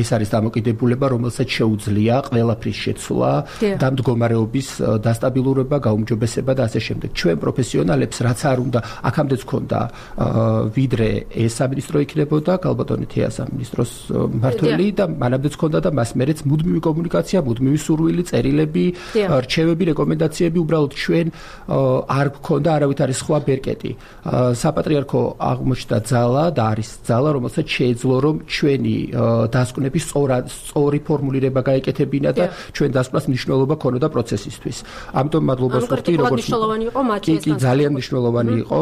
ეს არის დამოკიდებულება, რომელსაც შეუძლია ყველაფრის შეცვლა და მდგომარეობის დასტაბილურება, გაუმჯობესება და ასე შემდეგ. ჩვენ პროფესიონალებს რაც არ უნდა, აქამდეც ქონდა ვიდრე ეს სამინისტრო იქნებოდა, ალბათონი თეა სამინისტროს მმართველი და მანამდეც ქონდა და მას მერეც მუდმივი კომუნიკაცია, მუდმივი სურვილი, წერილები, რჩევები, რეკომენდაციები, უბრალოდ ჩვენ არ გქონდა არავითარი სხვა ბერკეტი. საპატრიარქო აღმოჩნდა ძალა და არის ძალა, რომელსაც შეეძლო რომ ჩვენი დასკვნების სწორი ფორმულირება გაეკეთებინა და ჩვენ დასკვნას მნიშვნელობა ქონოდა პროცესისთვის. ამიტომ მადლობას ვუხდი, როგორც მნიშვნელოვანი იყო მათთვის. კი, ძალიან მნიშვნელოვანი იყო.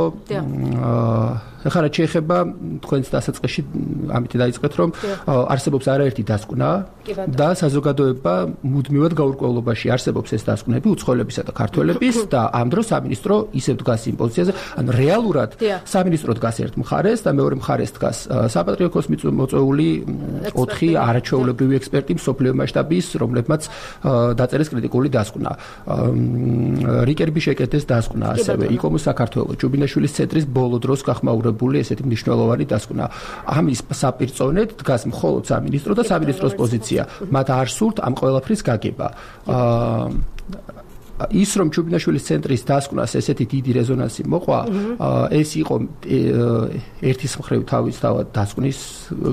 ახლა რაც შეეხება თქვენს დასაწყისში ამით დაიწყეთ რომ არსებობს არაერთი დასკვნა და საზოგადოება მუდმივად გაურკვევლობაში არსებობს ეს დასკვნები უცხოელებისა და ქართველების და ამ დროს სამინისტრო ისევ დგას იმ პოზიციაზე, ანუ რეალურად სამინისტრო დგას ერთ მხარეს და მეორე მხარეს დგას საპატრიარქოს მოწვეული 4 არაჩვეულებრივი ექსპერტი მსოფლიო მასშტაბის, რომლებმაც დაწერეს კრიტიკული დასკვნა. რიკერბი შეკეთეს დასკვნა, ასევე იკომოს საქართველოს ჯუბინაშვილის ცენტრის ბოლო დროს გახმაურებული ესეთი მნიშვნელოვანი დასკვნა. ამის საპირწონედ დგას მხოლოდ სამინისტრო და სამინისტროს პოზიცია. მათ არ სურთ ამ ყველაფრის გაგება. ის რომ ჯუბინაშვილის ცენტრის დასკვნას ესეთი დიდი რეზონანსი მოყვა, ეს იყო ერთის მხრივ თავისთავად დასკვნის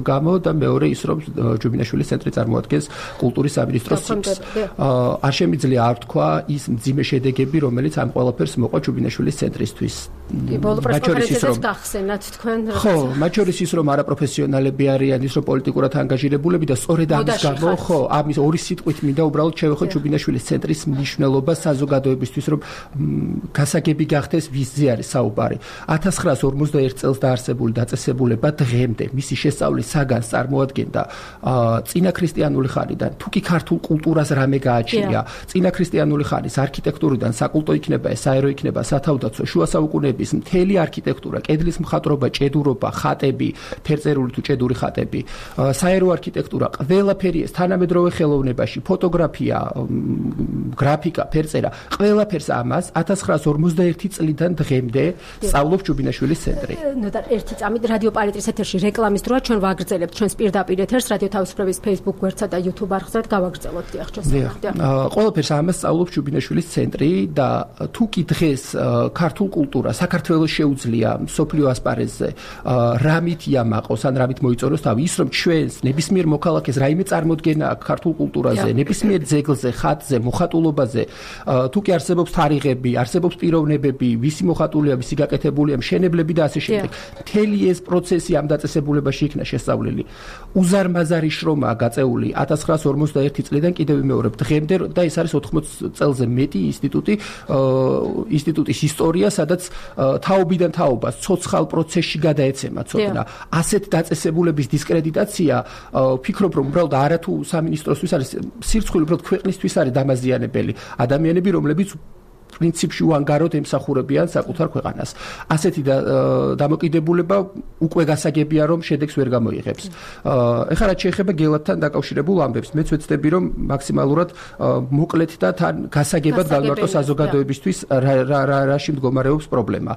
გამო და მეორე ის რომ ჯუბინაშვილის ცენტრი წარმოადგენს კულტურის სამინისტროს ციკს. არ შემიძლია არ თქვა ის მძიმე შედეგები, რომელიც ამ ყველაფერს მოყვა ჯუბინაშვილის ცენტრისთვის. ბოლო პრესკონფერენციაზეც გახსენათ თქვენ. ხო, მათ შორის ის რომ არაპროფესიონალები არიან, ის რომ პოლიტიკურად ანგაჟირებულები და სწორედ ამის გამო, ხო, ამის ორი სიტყვით მინდა უბრალოდ შევეხო ჯუბინაშვილის ცენტრის მნიშვნელობა საზოგადოებისთვის, რომ გასაგები გახდეს ვისზე არის საუბარი. 1941 წელს დაარსებული დაწესებულება დღემდე მისი შესწავლის საგანს წარმოადგენდა წინაქრისტიანული ხანიდან. თუ კი ქართულ კულტურას რამე გააჩნია, წინაქრისტიანული ხანის არქიტექტურიდან საკულტო იქნება, საერო იქნება, სათავდაცვო, შუა საუკუნეების მთელი არქიტექტურა, კედლის მხატვრობა, ჭედურობა, ხატები, ფერწერული თუ ჭედური ხატები, საერო არქიტექტურა, ყველაფერი ეს თანამედროვე ხელოვნებაში, ფოტოგრაფია, გრაფიკა, ფერწერა, ყველაფერს ამას 1951 წლიდან დღემდე სწავლობს ჯუბინაშვილის ცენტრი. ნუ და ერთი წამით რადიო პარიტრის ეთერში რეკლამის დროა ჩვენ ვაგრძელებთ ჩვენს პირდაპირ ეთერს რადიო თავისუფლების Facebook გვერდსა და YouTube არხზე გავაგრძელოთ დიახ შესაძლოა. ყველაფერს ამას სწავლობს ჯუბინაშვილის ცენტრი და თუ კი დღეს ქართულ კულტურას საქართველოს შეუძლია მსოფლიო ასპარეზზე რამით იამაყოს ან რამით მოიწონოს თავი, ის რომ ჩვენს ნებისმიერ მოქალაქეს რაიმე წარმოდგენა აქვს ქართულ კულტურაზე, ნებისმიერ ძეგლზე, ხატზე, მოხატულობაზე, თუ კი არსებობს თარიღები, არსებობს პიროვნებები, ვისი მოხატულია, ვისი გაკეთებულია, მშენებლები და ასე შემდეგ. მთელი ეს პროცესი ამ დაწესებულებაში იქნა შესწავლილი. უზარმაზარი შრომაა გაწეული 1951 წლიდან კიდევ ვიმეორებ დღემდე და ეს არის 80 წელზე მეტი ინსტიტუტის ისტორია, სადაც თაობიდან თაობას ცოცხალ პროცესში გადაეცემა ცოდნა. ასეთ დაწესებულების დისკრედიტაცია ვფიქრობ რომ უბრალოდ არათუ სამინისტროსთვის არის სირცხვილი, უბრალოდ ქვეყნისთვის არის დამაზიანებელი. ადამიანები, რომლებიც პრინციპში უანგაროდ ემსახურებიან საკუთარ ქვეყანას. ასეთი დამოკიდებულება უკვე გასაგებია, რომ შედეგს ვერ გამოიღებს. ეხლა რაც შეეხება გელათთან დაკავშირებულ ამბებს, მეც ვეცდები, რომ მაქსიმალურად მოკლედ და თან გასაგებად გავიმარტო საზოგადოებისთვის რაში მდგომარეობს პრობლემა.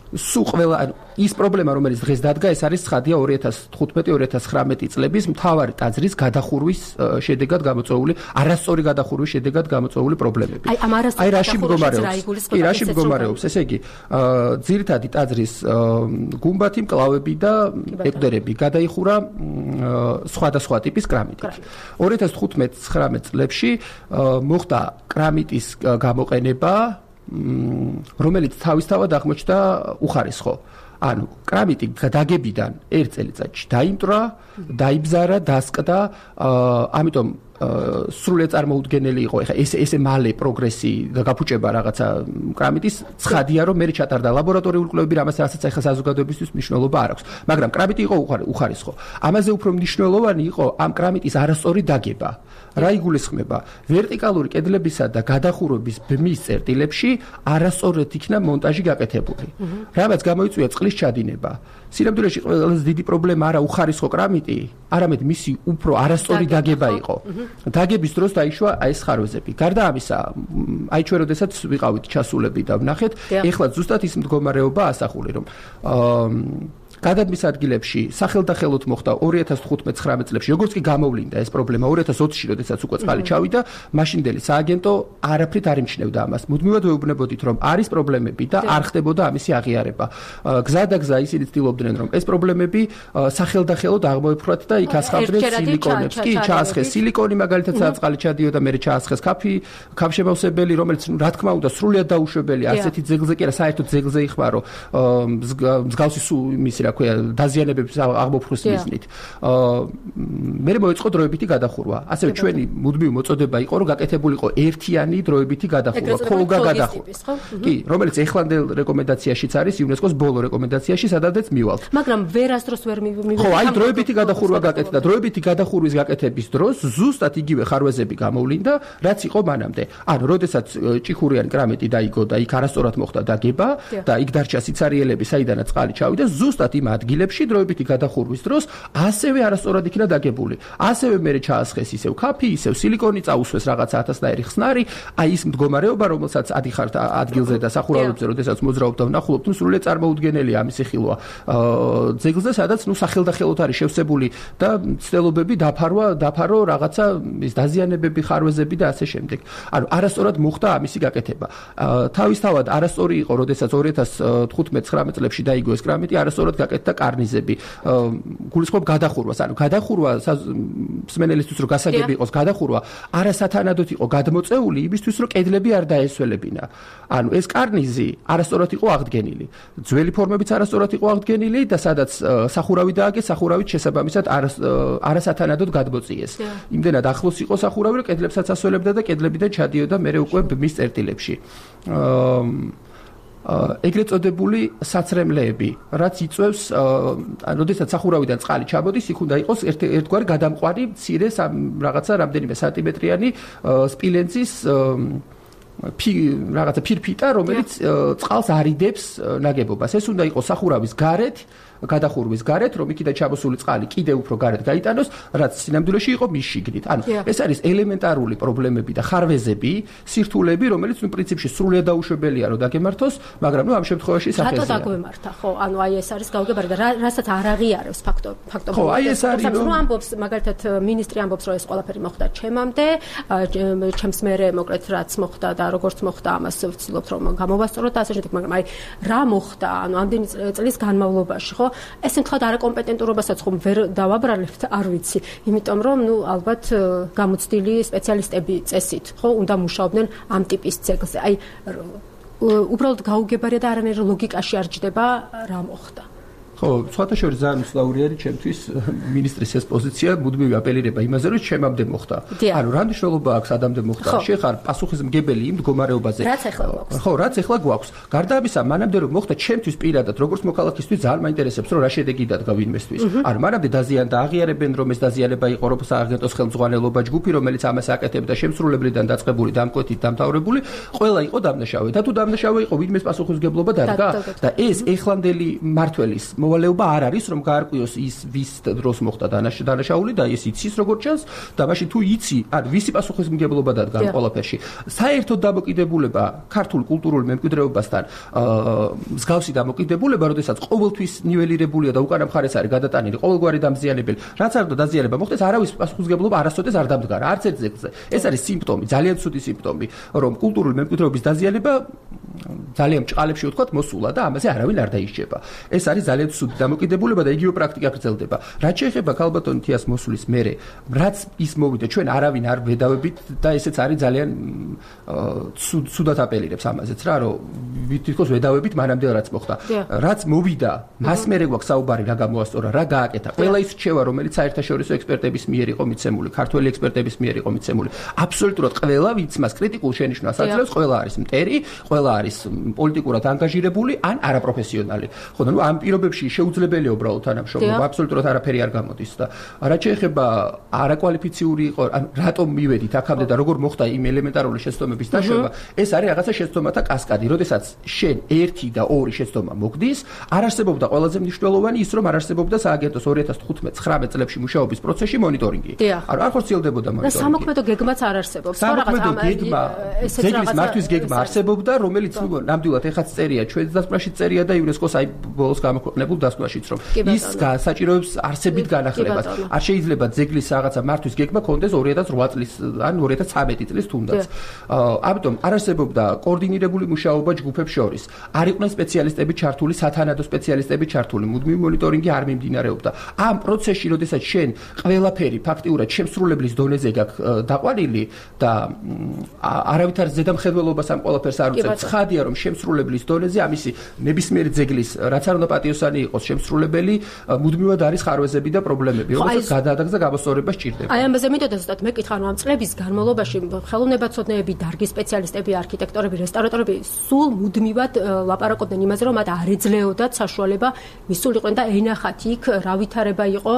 სულ ყველა ის პრობლემა, რომელიც დღეს დადგა, ეს არის ცხადია 2015-2019 წლების მთავარი ტაძრის გადახურვის შედეგად გამოწვეული, არასწორი გადახურვის შედეგად გამოწვეული პრობლემები. აი რაში მდგომარეობს? ესე იგი, ძირითადი ტაძრის გუმბათი, მკლავები და ეკვდერები გადაიხურა სხვადასხვა ტიპის კრამიტით. 2015-19 წლებში მოხდა კრამიტის გამოყენება, რომელიც თავისთავად აღმოჩნდა უხარისხო. ანუ კრამიტი დაგებიდან 1 წელიწადში დაიმტრა, დაიბზარა, დასკდა, ამიტომ სრულიად წარმოუდგენელი იყო. ეხლა ესე მალე პროგრესი და გაფუჭება რაღაცა კრამიტის ცხადია, რომ მე ჩატარდა ლაბორატორიული კვლევები, რასაც ეხლა საზოგადოებისთვის მნიშვნელობა არ აქვს. მაგრამ კრამიტი იყო უხარისხო. ამაზე უფრო მნიშვნელოვანი იყო ამ კრამიტის არასწორი დაგება. რა იგულისხმება? ვერტიკალური კედლებისა და გადახურების ბმის წერტილებში არასწორად იქნა მონტაჟი გაკეთებული. რამაც გამოიწვია წყლის ჩადინება. სინამდვილეში ყველაზე დიდი პრობლემა არა უხარისხო კრამიტი, არამედ მისი უფრო არასწორი დაგება იყო. დაგების დროს დაიშვა აი ეს ხარვეზები. გარდა ამისა, აი ჩვენ როდესაც ვიყავით ჩასულები და ვნახეთ, ეხლა ზუსტად ის მდგომარეობა ასახული, რომ გადადმის ადგილებში სახელდახელოდ მოხდა 2015-19 წლებში, როგორც კი გამოვლინდა ეს პრობლემა 2020-ში, როდესაც უკვე წყალი ჩავიდა, მაშინდელი სააგენტო არაფრით არ იმჩნევდა ამას. მუდმივად ვეუბნებოდით, რომ არის პრობლემები და არ ხდებოდა ამისი აღიარება. გზადაგზა ისინი ცდილობდნენ, რომ ეს პრობლემები სახელდახელოდ აღმოეფრათ და იქ ასხამდნენ სილიკონებს. კი, ჩაასხეს სილიკონი, მაგალითად, სადაც წყალი ჩადიოდა, მერე ჩაასხეს ქაფშემავსებელი, რომელიც, რა თქმა უნდა, სრულიად დაუშვებელია, ასეთი ძეგლზე კი არა, საერთოდ ძეგლზე იხმარო, მსგავსი იმისი რა ქვია დაზიანებების აღმოფხვრვის მიზნით. მე მოეწყო დროებითი გადახურვა. ასევე ჩვენი მუდმივი მოწოდება იყო, რომ გაკეთებულიყო ერთიანი დროებითი გადახურვა, ქოლგა გადახურვა. კი, რომელიც ეხლანდელ რეკომენდაციაშიც არის, იუნესკოს ბოლო რეკომენდაციაში, სადაც მივალთ. მაგრამ ვერასდროს ვერ მივიღეთ. ხო, აი დროებითი გადახურვა გაკეთდა. დროებითი გადახურვის გაკეთების დროს ზუსტად იგივე ხარვეზები გამოვლინდა, რაც იყო მანამდე. ანუ, როდესაც ჭიქურიანი კრამიტი დაიგო და იქ არასწორად მოხდა დაგება და იქ დარჩა სიცარიელები, საიდანაც წყალი ჩავიდა, ზუსტად იმ ადგილებში დროებითი გადახურვის დროს ასევე არასწორად იქნა დაგებული. ასევე მერე ჩაასხეს ისევ ქაფი, ისევ სილიკონი, წაუსვეს რაღაცა ათასნაირი ხსნარი, აი ის მდგომარეობა, რომელსაც ადიხართ ადგილზე და სახურავებზე, როდესაც მოძრაობ და ვნახულობთ, სრულიად წარმოუდგენელია ამისი ხილვა. ძეგლზე, სადაც სახელდახელოდ არის შევსებული და ცდილობები დაფარო რაღაცა ის დაზიანებები, ხარვეზები და ასე შემდეგ. ანუ არასწორად მოხდა ამისი გაკეთება. თავისთავად არასწორი იყო, როდესაც 2015-19 წლებში დაიგო ეს კრამიტი, არასწორად გაკეთდა კარნიზები. გულისხმობ გადახურვას, ანუ გადახურვა მსმენელისთვის რომ გასაგები იყოს გადახურვა, არასათანადოდ იყო გადმოწეული იმისთვის, რომ კედლები არ დაესველებინა. ანუ ეს კარნიზი არასწორად იყო აღდგენილი. ძველი ფორმებიც არასწორად იყო აღდგენილი და სადაც სახურავი დააგეს, სახურავით შესაბამისად არასათანადოდ გადმოწიეს. იმდენად ახლოს იყო სახურავი, რომ კედლებსაც ასველებდა და კედლებიდან ჩადიოდა მერე უკვე ბმის წერტილებში. ეგრეთ წოდებული საცრემლეები, რაც იწვევს, როდესაც სახურავიდან წყალი ჩამოდის, იქ უნდა იყოს ერთგვარი გადამყვანი მცირე რაღაცა რამდენიმე სანტიმეტრიანი სპილენძის რაღაცა ფირფიტა, რომელიც წყალს არიდებს ნაგებობას. ეს უნდა იყოს სახურავის გარეთ, გადახურვის გარეთ, რომ იქიდან ჩამოსული წყალი კიდევ უფრო გარეთ გაიტანოს, რაც სინამდვილეში იყო მის შიგნით. ანუ ეს არის ელემენტარული პრობლემები და ხარვეზები, სირთულეები, რომელიც ნუ პრინციპში სრულიად დაუშვებელია, რომ დაგემართოს, მაგრამ ნუ ამ შემთხვევაში საფრთხეა. რატო დაგვემართა, ხო? ანუ აი ეს არის გაუგებარი და რასაც არ აღიარებს ფაქტობრივად. ხო, აი ეს არის რომ ამბობს, მაგალითად მინისტრი ამბობს, რომ ეს ყველაფერი მოხდა ჩემამდე, ჩემს მერე მოკლედ რაც მოხდა და როგორც მოხდა, ამას ვცდილობთ რომ გამოვასწოროთ და ასე შემდეგ, მაგრამ აი რა მოხდა, ანუ ამდენი წლის განმავლობაში, ხო? ეს მთლად არაკომპეტენტურობასაც ხომ ვერ დავაბრალებთ, არ ვიცი, იმიტომ რომ ნუ ალბათ გამოცდილი სპეციალისტები წესით, ხო, უნდა მუშაობდნენ ამ ტიპის ძეგლზე. აი უბრალოდ გაუგებარია და არანაირ ლოგიკაში არ ჯდება რა მოხდა. ხო, სხვათა შორის ძალიან უცნაური არის ჩემთვის მინისტრის ეს პოზიცია, მუდმივი აპელირება იმაზე, რომ ჩემამდე მოხდა. ანუ რა მნიშვნელობა აქვს ადამიანამდე მოხდა? შეხარ პასუხისმგებელი იმ მდგომარეობაზე. რაც ახლა გვაქვს. ხო, რაც ახლა გვაქვს. გარდა ამისა, მანამდე რომ მოხდა ჩემთვის პირადად, როგორც მოქალაქისთვის ძალიან მაინტერესებს, რომ რა შედეგი დადგა ვინმესთვის. ანუ მანამდე დაზიანდა, აღიარებენ, რომ ეს დაზიანება იყო რომ სააგენტოს ხელმძღვანელობა ჯგუფი, რომელიც ამას აკეთებდა შემსრულებლიდან დაწყებული, დამკვეთით, დამთავრებული, ყველა იყო დამნაშავე. და თუ დამნაშავე იყო, ვინმეს პასუხისმგებლობა დადგა და ეს ეხლანდელი მმართველის მოვალეობა არ არის, რომ გაარკვიოს ის ვის დროს მოხდა დანაშაული და ეს იცის როგორც ჩანს და მაშინ თუ იცი, ან ვისი პასუხისმგებლობა დადგა ყველაფერში. საერთოდ დამოკიდებულება ქართულ კულტურულ მემკვიდრეობასთან მსგავსი დამოკიდებულება, როდესაც ყოველთვის ნიველირებულია და უკანა მხარეს არის გადატანილი ყოველგვარი დამზიანებელი, რაც არ უნდა დაზიანება მოხდეს, არავის პასუხისმგებლობა არასოდეს არ დამდგარა, არც ერთ ძეგლზე. ეს არის სიმპტომი, ძალიან ცუდი სიმპტომი, რომ კულტურული მემკვიდრეობის დაზიანება ძალიან ჭყალებში ვთქვათ მოსულა და ამაზე არავინ არ დაისჯება. ეს არის ძალიან ცუდი დამოკიდებულება და იგივე პრაქტიკა გრძელდება. რაც შეეხება ქალბატონ თიას მოსulis მერე, რაც ის მოვიდა, ჩვენ არავინ არ ვედავებით და ესეც არის ძალიან ცუდად აპელირებს ამაზეც რა, რომ თითქოს ვედავებით მანამდე რაც მოხდა. რაც მოვიდა, მას მერე გვაქვს საუბარი რა გამოასწორა, რა გააკეთა. ყველა ის რჩევა, რომელიც საერთაშორისო ექსპერტების მიერ იყო მიცემული, ქართველი ექსპერტების მიერ იყო მიცემული. აბსოლუტურად ყველა, ვინც მას კრიტიკულ შენიშვნას აძლევს, ყველა არის მტერი, ყველა არის პოლიტიკურად ანგაჟირებული, ან არაპროფესიონალი. ხო, ну ამ პირობებში შეუძლებელია უბრალოდ თანამშრომლობა, აბსოლუტურად არაფერი არ გამოდის და რაც შეეხება არაკვალიფიციური იყო, ან რატომ მივედით აქამდე და როგორ მოხდა იმ ელემენტარული შეცდომების დაშვება, ეს არის რაღაცა შეცდომათა კასკადი. როდესაც შენ 1 და 2 შეცდომა მოგდის, არ არსებობდა ყველაზე მნიშვნელოვანი ის, რომ არ არსებობდა სააგენტოს 2015-19 წლებში მუშაობის პროცესში მონიტორინგი. არ ხორციელდებოდა მონიტორინგი. და სამოქმედო გეგმაც არ არსებობს. სამოქმედო გეგმა, ძეგლის მართვის გეგმა არსებობდა, რომელიც ნამდვილად ეხაც წერია, ჩვენს დასკვნაში წერია და იუნესკოს აი ბოლოს გამოქვეყნებულ დასკვნაშიც, რომ ის საჭიროებს არსებით განახლებას. არ შეიძლება ძეგლის რაღაცა მართვის გეგმა კონდეს 2008 წლის ან 2013 წლის თუნდაც. ამიტომ არ არსებობდა კოორდინირებული მუშაობა ჯგუფებს შორის. არ იყვნენ სპეციალისტები ჩართული, სათანადო სპეციალისტები ჩართული, მუდმივი მონიტორინგი არ მიმდინარეობდა. ამ პროცესში, როდესაც შენ ყველაფერი ფაქტიურად შემსრულებლის დონეზე გაქვს დაყვანილი და არავითარ ზედამხედველობას ამ ყველაფერს არ უწევს. ცხადია, რომ შემსრულებლის დონეზე ამისი ნებისმიერი ძეგლის, რაც არ უნდა პატიოსანი იყოს, შემსრულებელი მუდმივად არის ხარვეზები და პრობლემები, რომელსაც გადაადაგს და გამოსწორება სჭირდება. აი ამაზე მინდოდა ზუსტად მეკითხა, რომ ამ წლების განმავლობაში ხელოვნებაცოდნეები, დარგის სპეციალისტები, არქიტექტორები, რესტავრატორები სულ მუდმივად ლაპარაკობდნენ იმაზე, რომ მათ არ ეძლეოდათ საშუალება მისულიყვნენ და ენახათ იქ რა ვითარება იყო,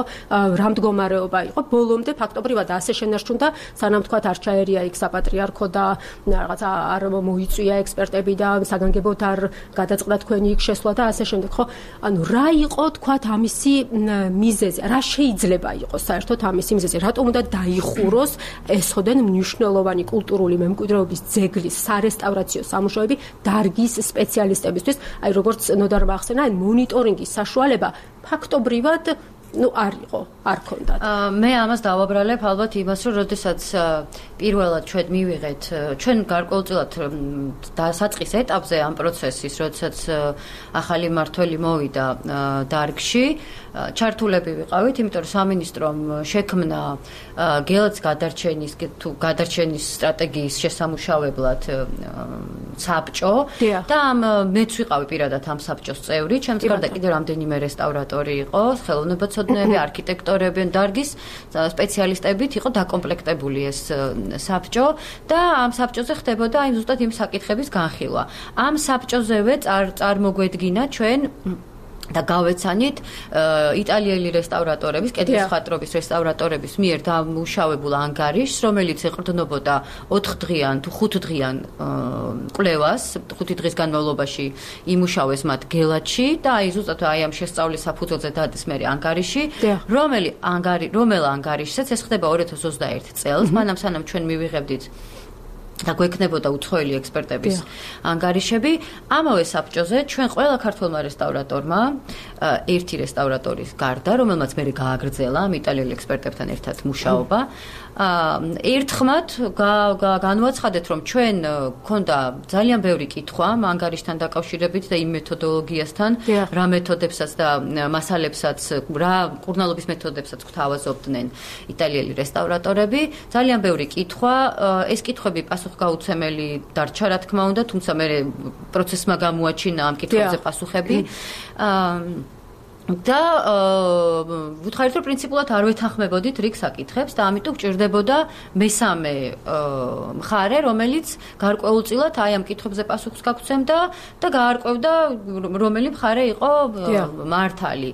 რა მდგომარეობა იყო. ბოლომდე ფაქტობრივად ასე შენარჩუნდა, სანამ თქვათ არ ჩაერია იქ საპატრიარქო და რაღაცა არ მოიწვია ექსპერტები და საგანგებოდ არ გადაწყდა თქვენი იქ შესვლა და ასე შემდეგ. ხო, ანუ რა იყო თქვათ ამისი მიზეზი, რა შეიძლება იყოს საერთოდ ამისი მიზეზი, რატომ უნდა დაიხუროს ესოდენ მნიშვნელოვანი კულტურული მემკვიდრეობის ძეგლის სარესტავრაციო სამუშაოები დარგის სპეციალისტებისთვის, აი როგორც ნოდარმა ახსენა, მონიტორინგის საშუალება ფაქტობრივად არ იყო, არ ქონდათ. მე ამას დავაბრალებ ალბათ იმას, რომ როდესაც პირველად ჩვენ მივიღეთ, ჩვენ გარკვეულწილად დასაწყის ეტაპზე ამ პროცესის, როდესაც ახალი მმართველი მოვიდა დარგში, ჩართულები ვიყავით, იმიტომ რომ სამინისტრომ შექმნა გელათს გადარჩენის სტრატეგიის შესამუშავებლად საბჭო და მეც ვიყავი პირადად ამ საბჭოს წევრი, ჩემს გარდა კიდევ რამდენიმე რესტავრატორი იყო, ხელოვნებაცოდნეები, არქიტექტორები, დარგის სპეციალისტებით იყო დაკომპლექტებული ეს საბჭო და ამ საბჭოზე ხდებოდა აი ზუსტად იმ საკითხების განხილვა. ამ საბჭოზევე წარმოგვედგინა ჩვენ და გავეცანით იტალიელი რესტავრატორების, კედლის მხატვრობის რესტავრატორების მიერ დამუშავებულ ანგარიშს, რომელიც ეყრდნობოდა 4დღიან თუ 5დღიან კვლევას, 5 დღის განმავლობაში იმუშავეს მათ გელათში და აი ზუსტად აი ამ შესწავლის საფუძველზე დადეს მე ანგარიში, რომელ ანგარიშსაც ეს ხდება 2021 წელს, მანამ სანამ ჩვენ მივიღებდით და გვექნებოდა უცხოელი ექსპერტების ანგარიშები. ამავე საბჭოზე ჩვენ ყველა ქართველმა რესტავრატორმა ერთი რესტავრატორის გარდა, რომელმაც მე გააგრძელა ამ იტალიელი ექსპერტებთან ერთად მუშაობა, ერთხმად განვაცხადეთ, რომ ჩვენ გქონდა ძალიან ბევრი კითხვა ამ ანგარიშთან დაკავშირებით და იმ მეთოდოლოგიასთან, რა მეთოდებსაც და მასალებსაც, რა კურნალობის მეთოდებსაც გვთავაზობდნენ იტალიელი რესტავრატორები. ძალიან ბევრი კითხვა, ეს კითხვები პასუხგაუცემელი დარჩა, რა თქმა უნდა, თუმცა მე პროცესმა გამოაჩინა ამ კითხვებზე პასუხები. და ვუთხარით, რომ პრინციპულად არ ვეთანხმებოდით რიგ საკითხებს და ამიტომ გჭირდებოდა მესამე მხარე, რომელიც გარკვეულწილად აი ამ კითხვებზე პასუხს გაგცემდა და გაარკვევდა რომელი მხარე იყო მართალი.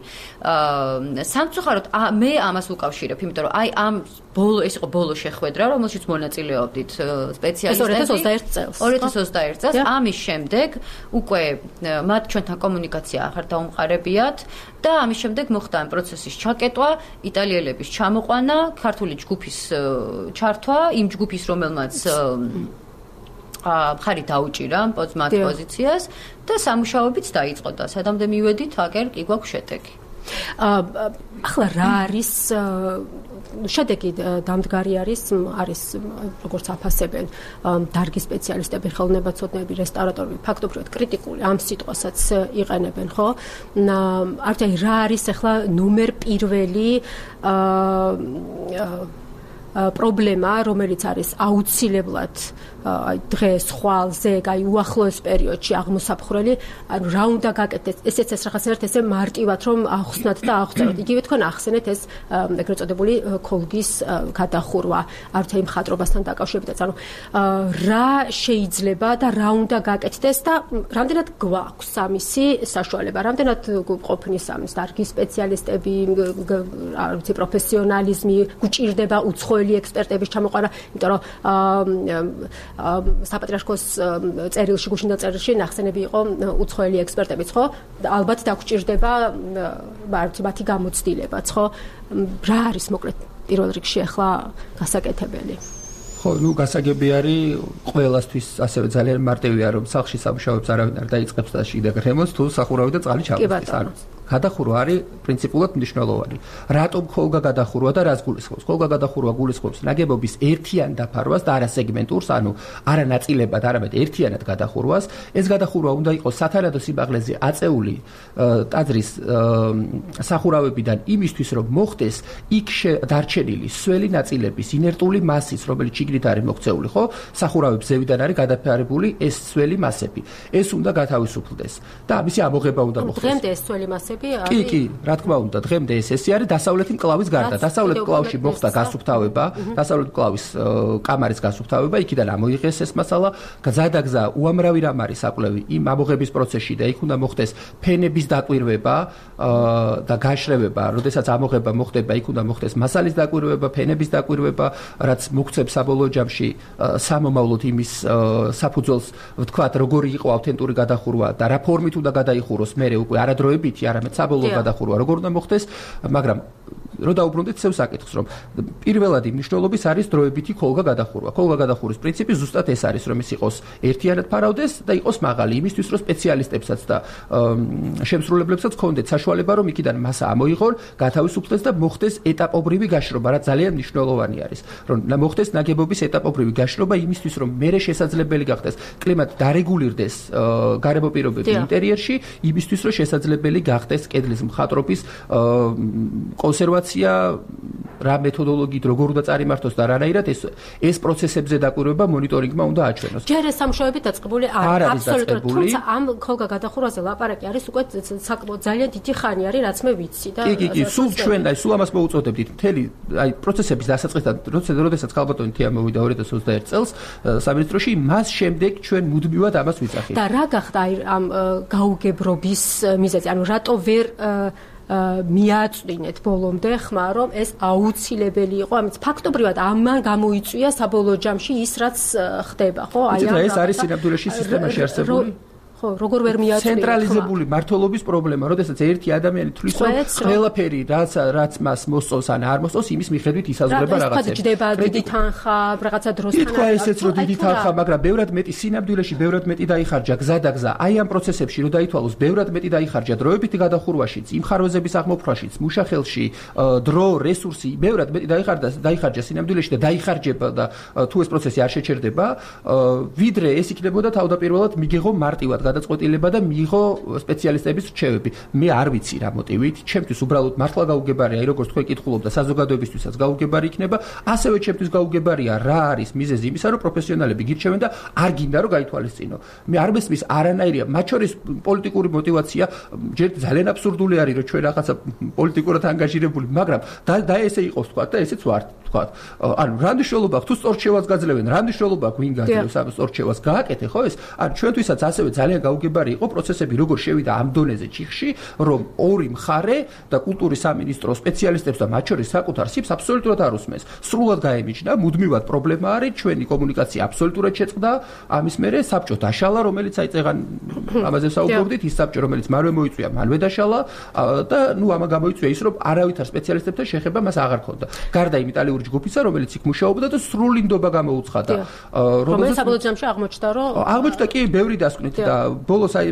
სამწუხაროდ მე ამას ვუკავშირებ, იმიტომ რომ აი ამ ეს იყო ბოლო შეხვედრა, რომელშიც მონაწილეობდით სპეციალისტები 2021 წელს. ამის შემდეგ უკვე მათ ჩვენთან კომუნიკაცია აღარ დაუმყარებიათ და ამის შემდეგ მოხდა ამ პროცესის ჩაკეტვა, იტალიელების ჩამოყვანა, ქართული ჯგუფის ჩართვა, იმ ჯგუფის, რომელმაც მხარი დაუჭირა მათ პოზიციას და სამუშაოებიც დაიწყო და სადამდე მივედით, აგერ კი გვაქვს შედეგი. ახლა რა არის შედეგი დამდგარი არის როგორც აფასებენ დარგის სპეციალისტები, ხელოვნებაცოდნეები, რესტავრატორები, ფაქტობრივად კრიტიკული ამ სიტყვასაც იყენებენ, ხო? რა არის ახლა ნომერ პირველი პრობლემა, რომელიც არის აუცილებლად დღეს, ხვალზე, უახლოეს პერიოდში აღმოსაფხრელი, ანუ რა უნდა გაკეთდეს, ესეც ეს რაღაცნაირად ესე მარტივად რომ ახსნათ და აღწეროთ. იგივე თქვენ ახსენეთ ეს ეგრეთ წოდებული ქოლგის გადახურვა, არც იმ ხატრობასთან დაკავშირებით, ანუ რა შეიძლება და რა უნდა გაკეთდეს და რამდენად გვაქვს ამისი საშუალება, რამდენად ყოფნის ამის დარგის სპეციალისტები, არ ვიცი, პროფესიონალიზმი, გვჭირდება უცხოელი ექსპერტების ჩამოყარა, იმიტომ რომ საპატრიარქოს წერილში, გუშინდელ წერილში ნახსენები იყო უცხოელი ექსპერტებიც, ხო? ალბათ დაგჭირდება მათი გამოცდილებაც, ხო? რა არის მოკლედ პირველ რიგში ახლა გასაკეთებელი? ხო, გასაგები არის ყველასთვის ასევე ძალიან მარტივია რომ სახლში სამუშაოებს არავინ არ დაიწყებს და შიდა გრემოს თუ სახურავი და წყალი ჩამოწეს. გადახურვა არის პრინციპულად მნიშვნელოვანი. რატომ ხოლგა გადახურვა და რას გულისხმობს? ხოლგა გადახურვა გულისხმობს ნაგებობის ერთიან დაფარვას და არა სეგმენტურს, ანუ არა ნაწილებად, არამედ ერთიანად გადახურვას. ეს გადახურვა უნდა იყოს სათანადო სიმაღლეზე აწეული ტაძრის სახურავებიდან იმისთვის, რომ მოხდეს იქ დარჩენილი სველი ნაწილების ინერტული მასის, რომელიც შიგნით არის მოქცეული, ხო? სახურავების ზევიდან არის გადაფარებული ეს სველი მასები. ეს უნდა გათავისუფლდეს და ამისი ამოღება უნდა მოხდეს. დღემდე ეს სველი მასები კი, რა თქმა უნდა, დღემდე ეს არის დასავლეთი მკლავის გარდა. დასავლეთ მკლავში მოხდა გასუფთავება, დასავლეთ მკლავის კამარის გასუფთავება, იქიდან ამოიღეს ეს მასალა, გზადაგზა უამრავი რამ არის საკვლევი იმ ამოღების პროცესში და იქ უნდა მოხდეს ფენების დაკვირვება და გაშრევება, როდესაც ამოღება მოხდება, იქ უნდა მოხდეს მასალის დაკვირვება, ფენების დაკვირვება, რაც მოგცემს საბოლოო ჯამში სამომავლოდ იმის საფუძველს, ვთქვათ, როგორი იყო ავთენტური გადახურვა და რა ფორმით უნდა გადაიხუროს მერე უკვე არადროებითი, არამედ საბოლოო გადახურვა როგორ უნდა მოხდეს, მაგრამ რო დაუბრუნდეთ ცევს საკითხს, რომ პირველადი მნიშვნელობის არის დროებითი ხოლგა გადახურვა. ხოლგა გადახურვის პრინციპი ზუსტად ეს არის, რომ ის იყოს ერთიანად ფარავდეს და იყოს მაღალი, იმისთვის რომ სპეციალისტებსაც და შემსრულებლებსაც ჰქონდეთ საშუალება, რომ იქიდან მასა ამოიღონ, გათავისუფლდეს და მოხდეს ეტაპობრივი გაშრობა, რაც ძალიან მნიშვნელოვანი არის, რომ მოხდეს ნაგებობის ეტაპობრივი გაშრობა იმისთვის, რომ მერე შესაძლებელი გახდეს კლიმატ დარეგულირდეს გარემო პირობები ინტერიერში, იმისთვის, რომ შესაძლებელი გახდეს კედლის მხატვრობის კონსერვაცია, რა მეთოდოლოგიით როგორ უნდა წარიმართოს და რანაირად ეს პროცესებზე დაკვირვება მონიტორინგმა უნდა აჩვენოს. ჯერ ეს სამუშაოები დაწყებული არ არის აბსოლუტურად, თუმცა ამ ხოლგა გადახურვაზე ლაპარაკი არის უკვე საკმაოდ ძალიან დიდი ხანი არის, რაც მე ვიცი და კი, სულ ჩვენ სულ ამას მოუწოდებდით. მთელი პროცესების დასაწყისთან, როდესაც ქალბატონი თია მოვიდა 2021 წელს სამინისტროში, მას შემდეგ ჩვენ მუდმივად ამას ვიძახით. და რა გახდა ამ გაუგებრობის მიზეზი? ანუ რატო ვერ მიაწვინეთ ბოლომდე ხმა, რომ ეს აუცილებელი იყო, ამით ფაქტობრივად ამან გამოიწვია საბოლოო ჯამში ის, რაც ხდება, ხო? ეს არის სინამდვილეში სისტემაში არსებული ხო, როგორ ვერ მიაწვია ცენტრალიზებული მართლობის პრობლემა, როდესაც ერთი ადამიანი თulis რომ ყველაფერი რაც მას მოსწონს ან არ მოსწონს, იმის მიხედვით ისაზღვრება რაღაცები. ეს ჯდება დიდი თანხა, რაღაცა დროსთან. თქვა ესეც რომ დიდი თანხა, მაგრამ ბევრად მეტი სინამდვილეში ბევრად მეტი დაიხარჯა გზადაგზა. აი ამ პროცესებში რომ დაითვალოს, ბევრად მეტი დაიხარჯა დროებითი გადახურვაშიც, იმ ხარვეზების აღმოფხვაშიც, მუშახელში, დრო, რესურსი, ბევრად მეტი დაიხარჯა სინამდვილეში და დაიხარჯება და თუ ეს პროცესი არ შეჩერდება, ვიდრე ეს იქნებოდა თავდაპირველად მიგიღო მარტივად გადაწყვეტილება და მიიღო სპეციალისტების რჩევები. მე არ ვიცი რა მოტივით, ჩემთვის უბრალოდ მართლა გაუგებარია, როგორც თქვენ კითხულობდა, საზოგადოებისთვისაც გაუგებარი იქნება, ასევე ჩემთვის გაუგებარია რა არის მიზეზი იმისა, რომ პროფესიონალები გირჩევენ და არ გინდა რომ გაითვალისწინო. მე არ მესმის არანაირია, მათ შორის პოლიტიკური мотиваცია, ჯერ ძალიან აბსურდული არის, რომ ჩვენ რაღაცა პოლიტიკურად ანგაჟირებული, მაგრამ და ესე იყოს თქვა და ესეც ვართ თქვა. ანუ რა მნიშვნელობა აქვს თუ სწორჩევას გაძლევენ, რა მნიშვნელობა აქვს ვინ გაძლევს ამ სწორჩევას, გააკეთე ხო ეს? ანუ ჩვენთვისაც ასევე ძალიან გაუგებარი იყო პროცესები როგორ შევიდა ამ დონეზე ჩიხში, რომ ორი მხარე და კულტურის სამინისტრო სპეციალისტებს და მათ შორის საკუთარ სიფს აბსოლუტურად არ უსმენს. სრულად გაემიჯნა, მუდმივად პრობლემა არის, ჩვენი კომუნიკაცია აბსოლუტურად შეწყდა, ამის მერე საბჭო დაშალა, რომელიც აი წეგან ამაზე საუბრობდით, ის საბჭო რომელიც მანვე მოიწვია, მანვე დაშალა და ამან გამოიწვია ის, რომ არავითარ სპეციალისტებთან შეხება მას აღარ ჰქონდა. გარდა იმ იტალიური ჯგუფისა, რომელიც იქ მუშაობდა და სრული ნდობა გამოუცხადა. რომელიც საბოლოო ჯამში აღმოჩნდა, რომ აღმოჩნდა კი ბევრი დასკვნით და ბოლოს აი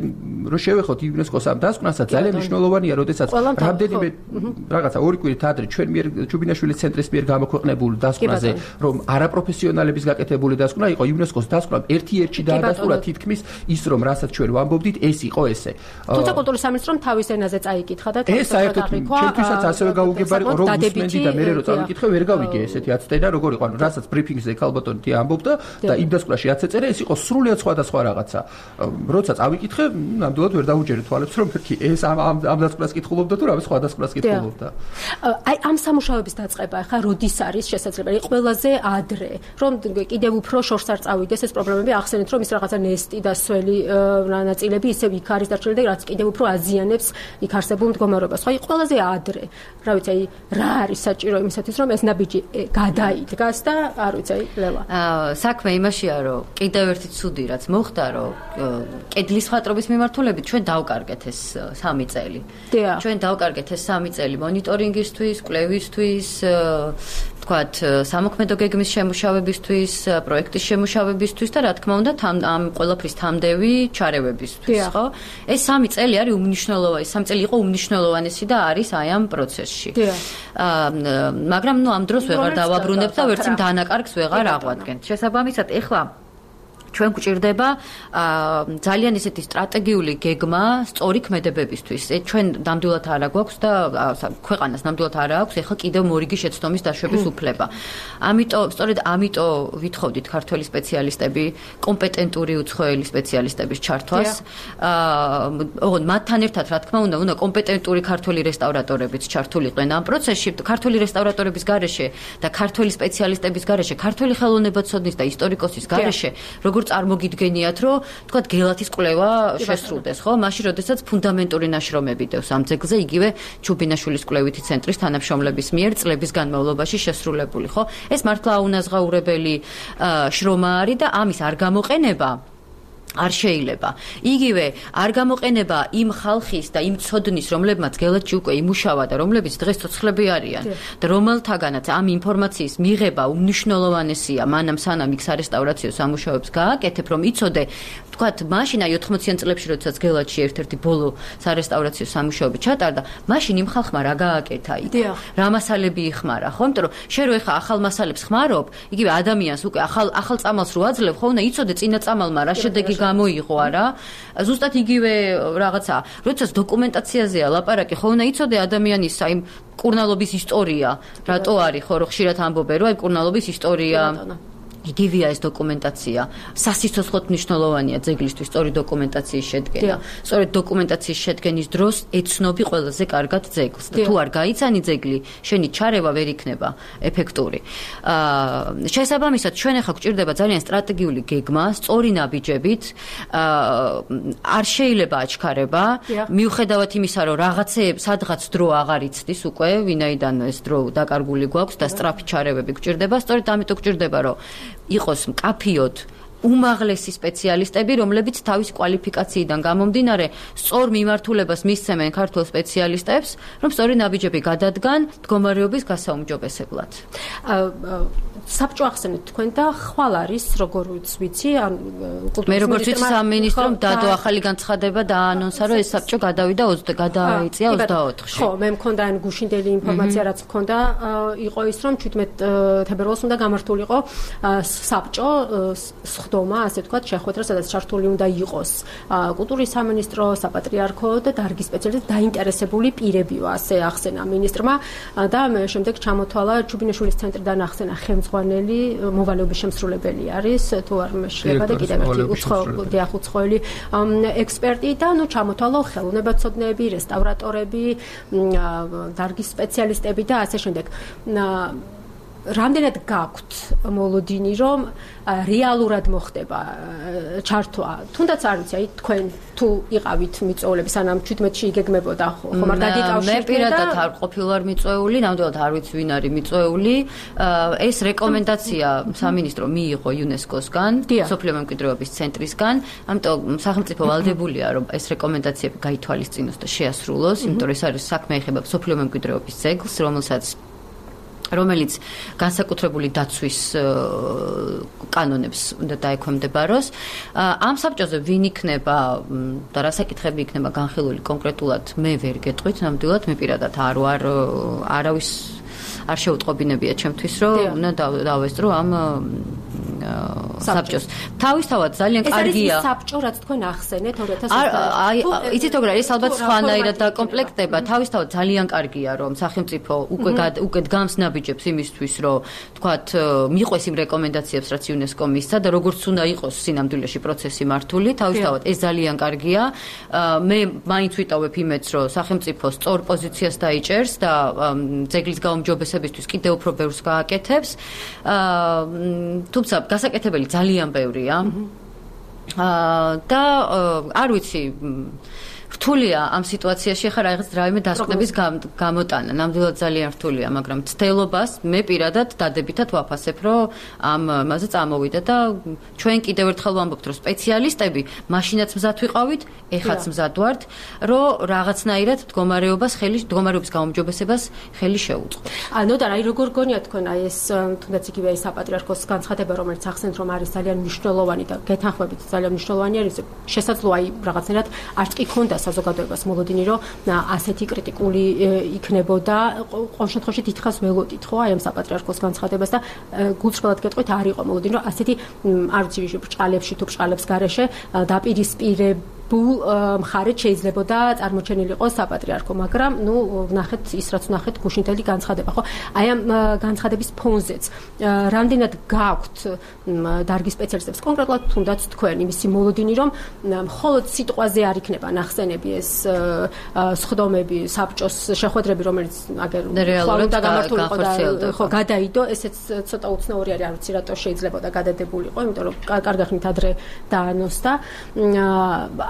რო შევეხოთ იუნესკოს ამ დასკვნასაც ძალიან მნიშვნელოვანია, როდესაც რამდენიმე რაღაცა ორი კვირით ადრე ჩვენ მიერ ჩუბინაშვილის ცენტრის მიერ გამოქვეყნებულ დასკვნაზე, რომ არაპროფესიონალების გაკეთებული დასკვნა იყო, იუნესკოს დასკვნამ ერთ-ერთი დაადასტურა თითქმის ის, რომ რასაც ჩვენ ვამბობდით, ეს იყო ესე. თუმცა კულტურის სამინისტრომ თავის ენაზე წაიკითხა და ეს საერთოდ ჩემთვისაც ასევე გაუგებარი იყო, რომ უსმენდი და მე რო წავიკითხე, ვერ გავიგე იგი ესეთი აცდენა, როგორ იყო, ანუ რასაც ბრიფინგზე ქალბატონი ამბობდა და იმ დასკვნაში აცეწერა, ეს იყო სრულიად სხვადასხვა რაღაცა. როცა წავიკითხე, ნამდვილად ვერ დაუჯერე თვალებს, რომ ეს ამ დასკვნას კითხულობდა თუ რა სხვადასხვას კითხულობდა. აი ამ სამუშაოების დაწყება ხა როდის არის შესაძლებელი? ყველაზე ადრე, რომ კიდევ უფრო შორს არ წავიდეს ეს პრობლემები, ახსენეთ, რომ ის რაღაცა ნესტი და სველი ნაწილები ისევ იქ არის დარჩენილი და რაც კიდევ უფრო აზიანებს იქ არსებულ მდგომარეობას. ხო, აი ყველაზე ადრე, რა ვიცი, აი რა არის საჭირო იმისათვის, რომ ეს ნაბიჯი გადაიდგას და არ ვიცი, აი ლელა. საქმე იმაშია, რომ კიდევ ერთი ცუდი რაც მოხდა, რომ კედლის ხატრობის მიმართულებით ჩვენ დავკარგეთ ეს 3 წელი. ჩვენ დავკარგეთ ეს 3 წელი მონიტორინგისთვის, კვლევისთვის, თქვათ, სამოქმედო გეგმის შემუშავებისთვის, პროექტის შემუშავებისთვის და რა თქმა უნდა, ამ ყველაფრის თამდევი ჩარევებისთვის, ხო? ეს 3 წელი არის უმნიშვნელოვანესი, 3 წელი იყო უმნიშვნელოვანესი და არის აი ამ პროცესში. მაგრამ ამ დროს ვეღარ დავაბრუნებთ და ვერც იმ დანაკარგს ვეღარ აღვადგენთ. შესაბამისად, ეხლა ჩვენ გვჭირდება ძალიან ისეთი სტრატეგიული გეგმა სწორი ქმედებებისთვის. ჩვენ ნამდვილად არა გვაქვს და ქვეყანას ნამდვილად არა აქვს ეხლა კიდევ მორიგი შეცდომის დაშვების უფლება. სწორედ ამიტომ ვითხოვდით ქართველი სპეციალისტები, კომპეტენტური უცხოელი სპეციალისტების ჩართვას. მათთან ერთად, რა თქმა უნდა, კომპეტენტური ქართველი რესტავრატორებიც ჩართულიყვნენ ამ პროცესში. ქართველი რესტავრატორების გარეშე და ქართველი სპეციალისტების გარეშე, ქართველი ხელოვნებაცოდნის და ისტორიკოსის გარეშე, როგორ წარმოგიდგენიათ, რომ თქვათ გელათის კვლევა შესრულდეს, ხო? მაშინ, როდესაც ფუნდამენტური ნაშრომები დევს ამ ძეგლზე, იგივე ჩუბინაშვილის კვლევითი ცენტრის თანამშრომლების მიერ წლების განმავლობაში შესრულებული, ხო? ეს მართლა აუნაზღაურებელი შრომა არის და ამის არ გამოყენება არ შეიძლება. იგივე არ გამოყენება იმ ხალხის და იმ ცოდნის, რომლებმაც გელათში უკვე იმუშავა და რომლებიც დღეს ცოცხლები არიან და რომელთაგანაც ამ ინფორმაციის მიღება უმნიშვნელოვანესია, მანამ სანამ იქ სარესტავრაციო სამუშაოებს გააკეთებ, რომ იცოდე, თქვათ, მაშინ აი 80-იან წლებში, როდესაც გელათში ერთ-ერთი ბოლო სარესტავრაციო სამუშაოები ჩატარდა, მაშინ იმ ხალხმა რა გააკეთა იქ? რა მასალები იხმარა, ხო? იმიტომ რომ შენ რო ეხა ახალ მასალებს ხმარობ, იგივე ადამიანს უკვე ახალ წამალს რო აძლევ, ხო, უნდა იცოდე წინა წამალმა რა შედეგი გამოიღო არა. ზუსტად იგივე რაღაცა. როდესაც დოკუმენტაციაზეა ლაპარაკი, ხო, უნდა იცოდე ადამიანის აი კურნალობის ისტორია, რატო არის, ხო, რომ ხშირად ამბობენ, რომ აი კურნალობის ისტორია იგივეა ეს დოკუმენტაცია. სასიცოცხლოდ მნიშვნელოვანია ძეგლისთვის სწორი დოკუმენტაციის შედგენა. სწორედ დოკუმენტაციის შედგენის დროს ეცნობი ყველაზე კარგად ძეგლს. და თუ არ გაიცანი ძეგლი, შენი ჩარევა ვერ იქნება ეფექტური. შესაბამისად, ჩვენ ახლა გვჭირდება ძალიან სტრატეგიული გეგმა, სწორი ნაბიჯებით. არ შეიძლება აჩქარება, მიუხედავად იმისა, რომ რაღაცეებს სადღაც დრო აღარ იცდის უკვე, ვინაიდან ეს დრო დაკარგული გვაქვს და სწრაფი ჩარევები გვჭირდება, სწორედ ამიტომ გვჭირდება, რომ იყოს მკაფიოდ უმაღლესი სპეციალისტები, რომლებიც თავის კვალიფიკაციიდან გამომდინარე სწორ მიმართულებას მისცემენ ქართულ სპეციალისტებს, რომ სწორი ნაბიჯები გადადგან მდგომარეობის გასაუმჯობესებლად. საბჭო ახსენეთ თქვენ და ხვალ არის როგორც ვიცი, მე როგორც ვიცი სამინისტრომ დადო ახალი განცხადება და აანონსა, რომ ეს საბჭო გადაიწია 24-ში. ხო, მე მქონდა ან გუშინდელი ინფორმაცია, რაც მქონდა, იყო ის, რომ 17 თებერვალს უნდა გამართულიყო საბჭო სხდომა, ასე თქვათ, შეხვედრა, სადაც ჩართული უნდა იყოს კულტურის სამინისტრო, საპატრიარქო და დარგის სპეციალისტები, დაინტერესებული პირებიო, ასე ახსენა მინისტრმა და შემდეგ ჩამოთვალა ჩუბინაშვილის ცენტრიდან ახსენა ხელმძღვანელი, მოვალეობის შემსრულებელი არის, თუ არ მეშლება და კიდევ ერთი უცხოელი ექსპერტი და ჩამოთვალა ხელოვნებაცოდნეები, რესტავრატორები, დარგის სპეციალისტები და ასე შემდეგ. რამდენად გაქვთ მოლოდინი, რომ რეალურად მოხდება ჩართვა? თუნდაც არ ვიცი, აი თქვენ თუ იყავით მიწვეულები, სანამ 17-ში იგეგმებოდა, ხომ არ გადიკავშირდა? მე პირადად არ ყოფილვარ მიწვეული, ნამდვილად არ ვიცი ვინ არის მიწვეული. ეს რეკომენდაცია სამინისტრო მიიღო იუნესკოს-გან, სოფლიო მემკვიდრეობის ცენტრისგან, ამიტომ სახელმწიფო ვალდებულია, რომ ეს რეკომენდაციები გაითვალისწინოს და შეასრულოს, იმიტომ რომ ეს არის საქმე ეხება სოფლიო მემკვიდრეობის ძეგლს, რომელიც განსაკუთრებული დაცვის კანონებს უნდა დაექვემდებაროს. ამ საბჭოზე ვინ იქნება და რა საკითხები იქნება განხილული კონკრეტულად, მე ვერ გეტყვით, ნამდვილად მე პირადად არავის არ შეუტყობინებია ჩემთვის, რომ უნდა დავესწრო ამ საბჭოს. თავისთავად ძალიან კარგია. ეს არის საბჭო, რაც თქვენ ახსენეთ 2020. აი, იცით როგორ არის, ალბათ სხვანაირად დაკომპლექტება. თავისთავად ძალიან კარგია, რომ სახელმწიფო უკვე დგამს ნაბიჯებს იმისთვის, რომ თქვათ, მიყვეს იმ რეკომენდაციებს, რაც იუნესკომ მისცა და როგორც უნდა იყოს სინამდვილეში პროცესი მართული, თავისთავად ეს ძალიან კარგია. მე მაინც ვიტოვებ იმედს, რომ სახელმწიფო სწორ პოზიციას დაიჭერს და ძეგლის გაუმჯობესებისთვის კიდევ უფრო ბევრს გააკეთებს. თუმცა გასაკეთებელი ძალიან ბევრია. და არ ვიცი რთულია ამ სიტუაციაში ხა რაღაც რაიმე დასკვნების გამოტანა. ნამდვილად ძალიან რთულია, მაგრამ ცდელობას მე პირადად დადებითად ვაფასებ, რომ ამაზე წამოვიდა და ჩვენ კიდევ ერთხელ ვამბობთ, რომ სპეციალისტები მაშინაც მზად ვიყავით, ეხაც მზად ვართ, რომ რაღაცნაირად მდგომარეობის გაუმჯობესებას ხელი შეუწყოთ. და აი როგორ გონიათ თქვენ აი ეს თუნდაც იგივე ეს საპატრიარქოს განცხადება, რომელიც ახსენეთ, რომ არის ძალიან მნიშვნელოვანი და გეთანხმებით ძალიან მნიშვნელოვანი არის, შესაძლოა აი რაღაცნაირად არც კი ქონდა საზოგადოებას მოლოდინი, რომ ასეთი კრიტიკული იქნებოდა. ყოველ შემთხვევაში დიდხანს ველოდით, ხო, აი ამ საპატრიარქოს განცხადებას და გულწრფელად გეტყვით, არ იყო მოლოდინი, რომ ასეთი არ ვიცი, ბრჭყალებში თუ ბრჭყალებს გარეშე მხარეთ შეიძლებოდა წარმოჩენილიყო საპატრიარქო, მაგრამ ვნახეთ ის რაც ვნახეთ გუშინთელი განცხადება, ხო? აი ამ განცხადების ფონზეც რამდენად გაქვთ დარგის სპეციალისტებს კონკრეტულად თუნდაც თქვენ იმისი მოლოდინი, რომ მხოლოდ სიტყვაზე არ იქნება ნახსენები ეს სხდომები, საბჭოს შეხვედრები, რომელიც აგერ რეალურად გამართულიყო და ხო გადაიდო, ესეც ცოტა უცნაური არის, არ ვიცი რატო შეიძლებოდა გადადებულიყო, იმიტომ რომ კარგ ხნით ადრე დაანონსდა.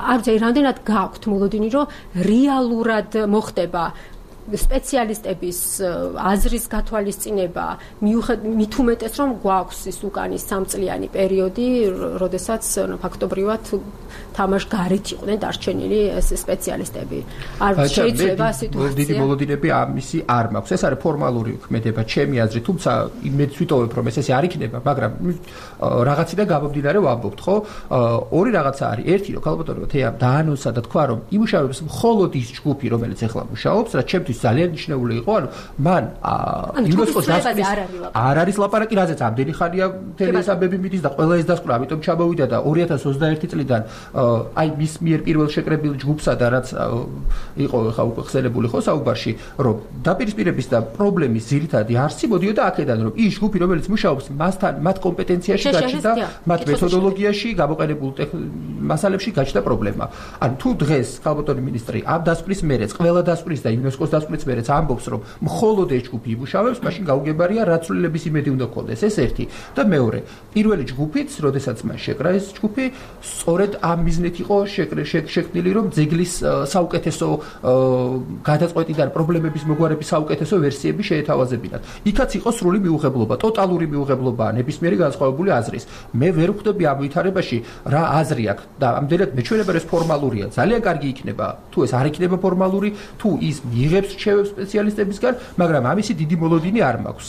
არ ვიცი, რამდენად გაქვთ მოლოდინი, რომ რეალურად მოხდება სპეციალისტების აზრის გათვალისწინება, მით უმეტეს რომ გვაქვს ის უკანის 3 წლიანი პერიოდი, როდესაც ფაქტობრივად თამაშ გარეთ იყვნენ დარჩენილი ეს სპეციალისტები. არ შეიძლება სიტუაცია. დიდი მოლოდინები ამისი არ მაქვს. ეს არის ფორმალური ქმედება ჩემი აზრით, თუმცა იმედს ვიტოვებ, რომ ეს არ იქნება, მაგრამ რაღაციდან გამომდინარე ვამბობთ, ხო? ორი რაღაცა არის. ერთი, რომ ქალბატონო თეამ დაანონსა და თქვა, რომ იმუშავებს მხოლოდ ის ჯგუფი, რომელიც ახლა მუშაობს, რაც ჩემთვის ძალიან მნიშვნელოვანი იყო, ანუ მან იუნესკოს დასკვნის არ არის ლაპარაკი, რაზეც ამდენი ხანია თელესაბები მიდის და ყველა ეს დასკვნა, ამიტომ ჩამოვიდა და 2021 წლიდან აი მის მიერ პირველ შეკრებილ ჯგუფსა და რაც იყო ხა უკვე ხსენებული ხო საუბარში, რომ დაპირისპირების და პრობლემის ძირითადი არსი მოდიოდა აქედან, რომ ის ჯგუფი, რომელიც მუშაობს მასთან, მათ კომპეტენციაში გაჩნდა, მათ მეთოდოლოგიაში, გამოყენებულ მასალებში გაჩნდა პრობლემა. ანუ თუ დღეს ქალბატონი მინისტრი ამ დასკვნის მერეც, ყველა დასკვნის და იუნესკოს დასკვნის მერეც ამბობს, რომ მხოლოდ ეს ჯგუფი იმუშავებს, მაშინ გაუგებარია რაცვლილების იმედი უნდა გქონდეს. ეს ერთი. და მეორე, პირველი ჯგუფიც, როდესაც მან შეკრა ეს ჯგუფი, სწორედ ამ მიზნით იყო შექმნილი, რომ ძეგლის საუკეთესო გადაწყვეტიდან პრობლემების მოგვარების საუკეთესო ვერსიები შეეთავაზებინათ. იქაც იყო სრული მიუღებლობა, ტოტალური მიუღებლობა ნებისმიერი განსხვავებული აზრის. მე ვერ ვხვდები ამ ვითარებაში რა აზრი აქვს და ამდენად მეჩვენება ეს ფორმალურია. ძალიან კარგი იქნება, თუ ეს არ იქნება ფორმალური, თუ ის მიიღებს რჩევებს სპეციალისტებისგან, მაგრამ ამისი დიდი მოლოდინი არ მაქვს.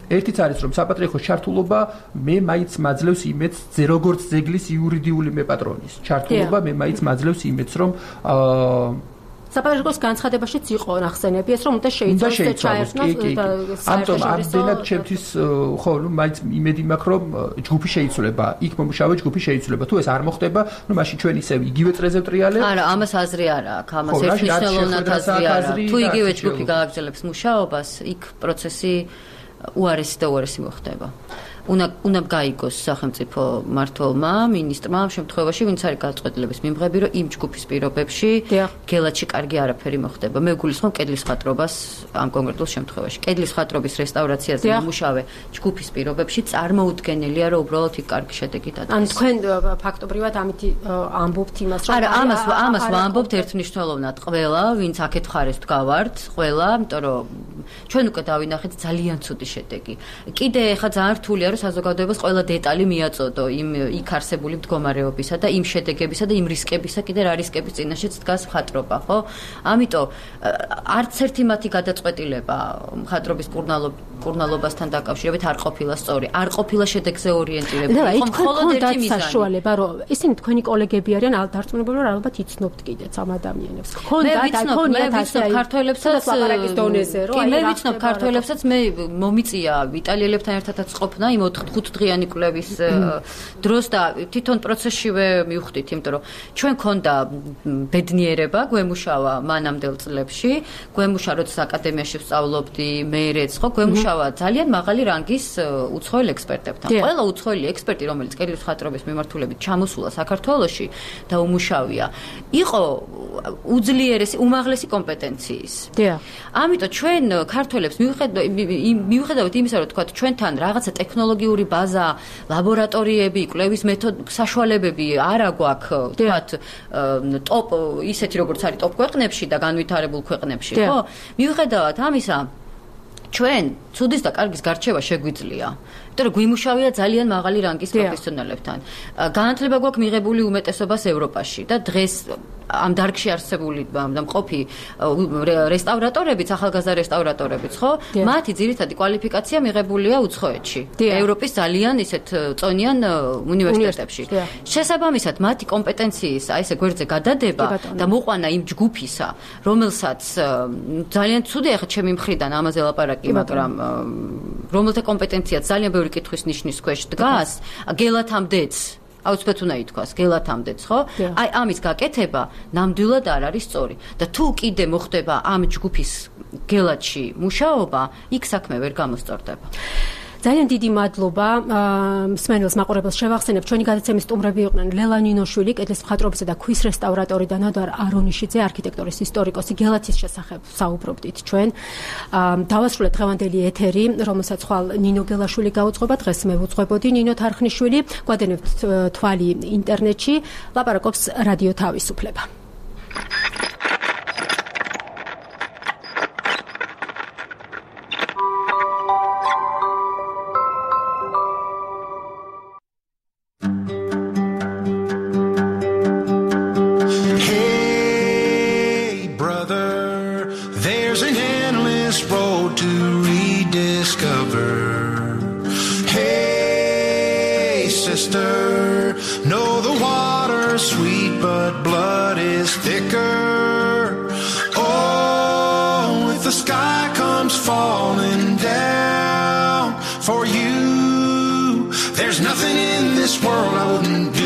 ერთიც არის, რომ საპატრიარქოს ჩართულობა მე მაინც მაძლევს იმედს, როგორც ძეგლის იურიდიული მეპატრონის ჩართულობა მე მაინც მაძლევს იმედს, რომ საპატრიარქოს განცხადებაშიც იყო ნახსენები ეს, რომ უნდა შეიცვალოს ჩაერთნოს და ამდენად ჩემთვის ხო, მაინც იმედი მაქვს, რომ ჯგუფი შეიცვლება, იქ მომუშავე ჯგუფი შეიცვლება. თუ ეს არ მოხდება, მაშინ ჩვენ ისევ იგივე წრეზე ვტრიალებ. არა, ამას აზრი არ აქვს, ამას ერთმნიშვნელოვნად აზრი არ აქვს. თუ იგივე ჯგუფი გააგრძელებს მუშაობას, იქ პროცესი უარესი და უარესი მოხდება. უნდა გაიგოს სახელმწიფო მმართველმა, მინისტრმა ამ შემთხვევაში, ვინც არის გადაწყვეტილების მიმღები, რომ იმ ჯგუფის პირობებში გელათში კარგი არაფერი მოხდება. მე გულისხმობ კედლის ხატრობას ამ კონკრეტულ შემთხვევაში. კედლის ხატრობის რესტავრაციაზე მომუშავე ჯგუფის პირობებში წარმოუდგენელია, რომ უბრალოდ იქ კარგი შედეგი დადგეს. ან თქვენ ფაქტობრივად ამით ამბობთ იმას, რომ არა, ამას ვამბობთ ერთმნიშვნელოვნად ყველა, ვინც აქეთ ხარეს ვდგავართ, ყველა, იმიტომ რომ ჩვენ უკვე დავინახეთ ძალიან ცუდი შედეგი. კიდე ეხა ძალიან რთულია, საზოგადოებას ყველა დეტალი მიაწოდო იმ იქ არსებული მდგომარეობისა და იმ შედეგებისა და იმ რისკებისა, კიდე რა რისკების წინაშეც დგას მხატვრობა, ხო? ამიტომ არც ერთი მათი გადაწყვეტილება მხატვრობის კურნალობასთან დაკავშირებით არ ყოფილა სწორი, არ ყოფილა შედეგზე ორიენტირებული. იყო მხოლოდ ერთი მიზანი. საშუალება, რომ ისინი თქვენი კოლეგები არიან, დარწმუნებული რომ ალბათ იცნობთ კიდეც ამ ადამიანებს. მე ვიცნობ ქართველებსაც ლაპარაკის დონეზე, რომ მე ვიცნობ ქართველებსაც, მე მომიწია იტალიელებთან ერთადაც ყოფნა იმ 4 დღიანი კვლევის დროს და თვითონ პროცესშივე მივხვდით, იმიტომ რომ ჩვენ ქონდა ბედნიერება, გვემუშავა მანამდელ წლებში, გვემუშა როცა აკადემიაში ვსწავლობდი, მეერეც ხო, გვემუშავა ძალიან მაღალი რანგის უცხოელ ექსპერტებთან. ყველა უცხოელი ექსპერტი, რომელიც კედლის მხატვრობის მიმართულებით ჩამოსულა საქართველოში და უმუშავია, იყო უძლიერესი, უმაღლესი კომპეტენციის. ამიტომ ჩვენ ქართველებს მიუხედავად იმისა, რომ თქვათ ჩვენთან რაღაცა ტექნოლოგიური ბაზა, ლაბორატორიები, კვლევის საშუალებები არ აგვაქვს, თქვათ ტოპ ისეთი როგორც არის ტოპ ქვეყნებში და განვითარებულ ქვეყნებში, ხო? მიუხედავად ამისა, ჩვენ ცუდის და კარგის გარჩევა შეგვიძლია. იმიტომ რომ გვიმუშავია ძალიან მაღალი რანგის პროფესიონალებთან. განათლება გვაქვს მიღებული უმეტესობას ევროპაში და დღეს ამ დარგში არსებული და მყოფი რესტავრატორებიც, ახალგაზრდა რესტავრატორებიც, ხო? მათი ძირითადი კვალიფიკაცია მიღებულია უცხოეთში. ევროპის ძალიან ისეთ წონიან უნივერსიტეტებში. შესაბამისად, მათი კომპეტენციის აი ესე გვერდზე გადადება და მოყვანა იმ ჯგუფისა, რომელსაც ძალიან ცუდია ხა ჩემი მხრიდან ამაზე ლაპარაკი, მაგრამ რომელთა კომპეტენციაც ძალიან ბევრი კითხვის ნიშნის ქვეშ დგას, გელათამდეც აუცილებლად უნდა ითქვას, გელათამდეც, ხო? აი ამის გაკეთება ნამდვილად არ არის სწორი. და თუ კიდე მოხდება ამ ჯგუფის გელათში მუშაობა, იქ საქმე ვერ გამოსწორდება. ძალიან დიდი მადლობა მსმენელს მაყურებელს შევახსენებ ჩვენი გადაცემის სტუმრები იყვნენ ლელა ნინოშვილი, კედლის მხატვრობისა და ქვის რესტავრატორი და ნადარ არონიშიძე, არქიტექტურის ისტორიკოსი. გელათის შესახებ საუბრობდით ჩვენ. დავასრულეთ დღევანდელი ეთერი, რომელსაც ხვალ ნინო გელაშვილი გაუძღვება, დღეს მე ვუძღვებოდი ნინო თარხნიშვილი. გვადენებთ თვალი ინტერნეტში, ლაპარაკობს რადიო თავისუფლება. There's nothing in this world I wouldn't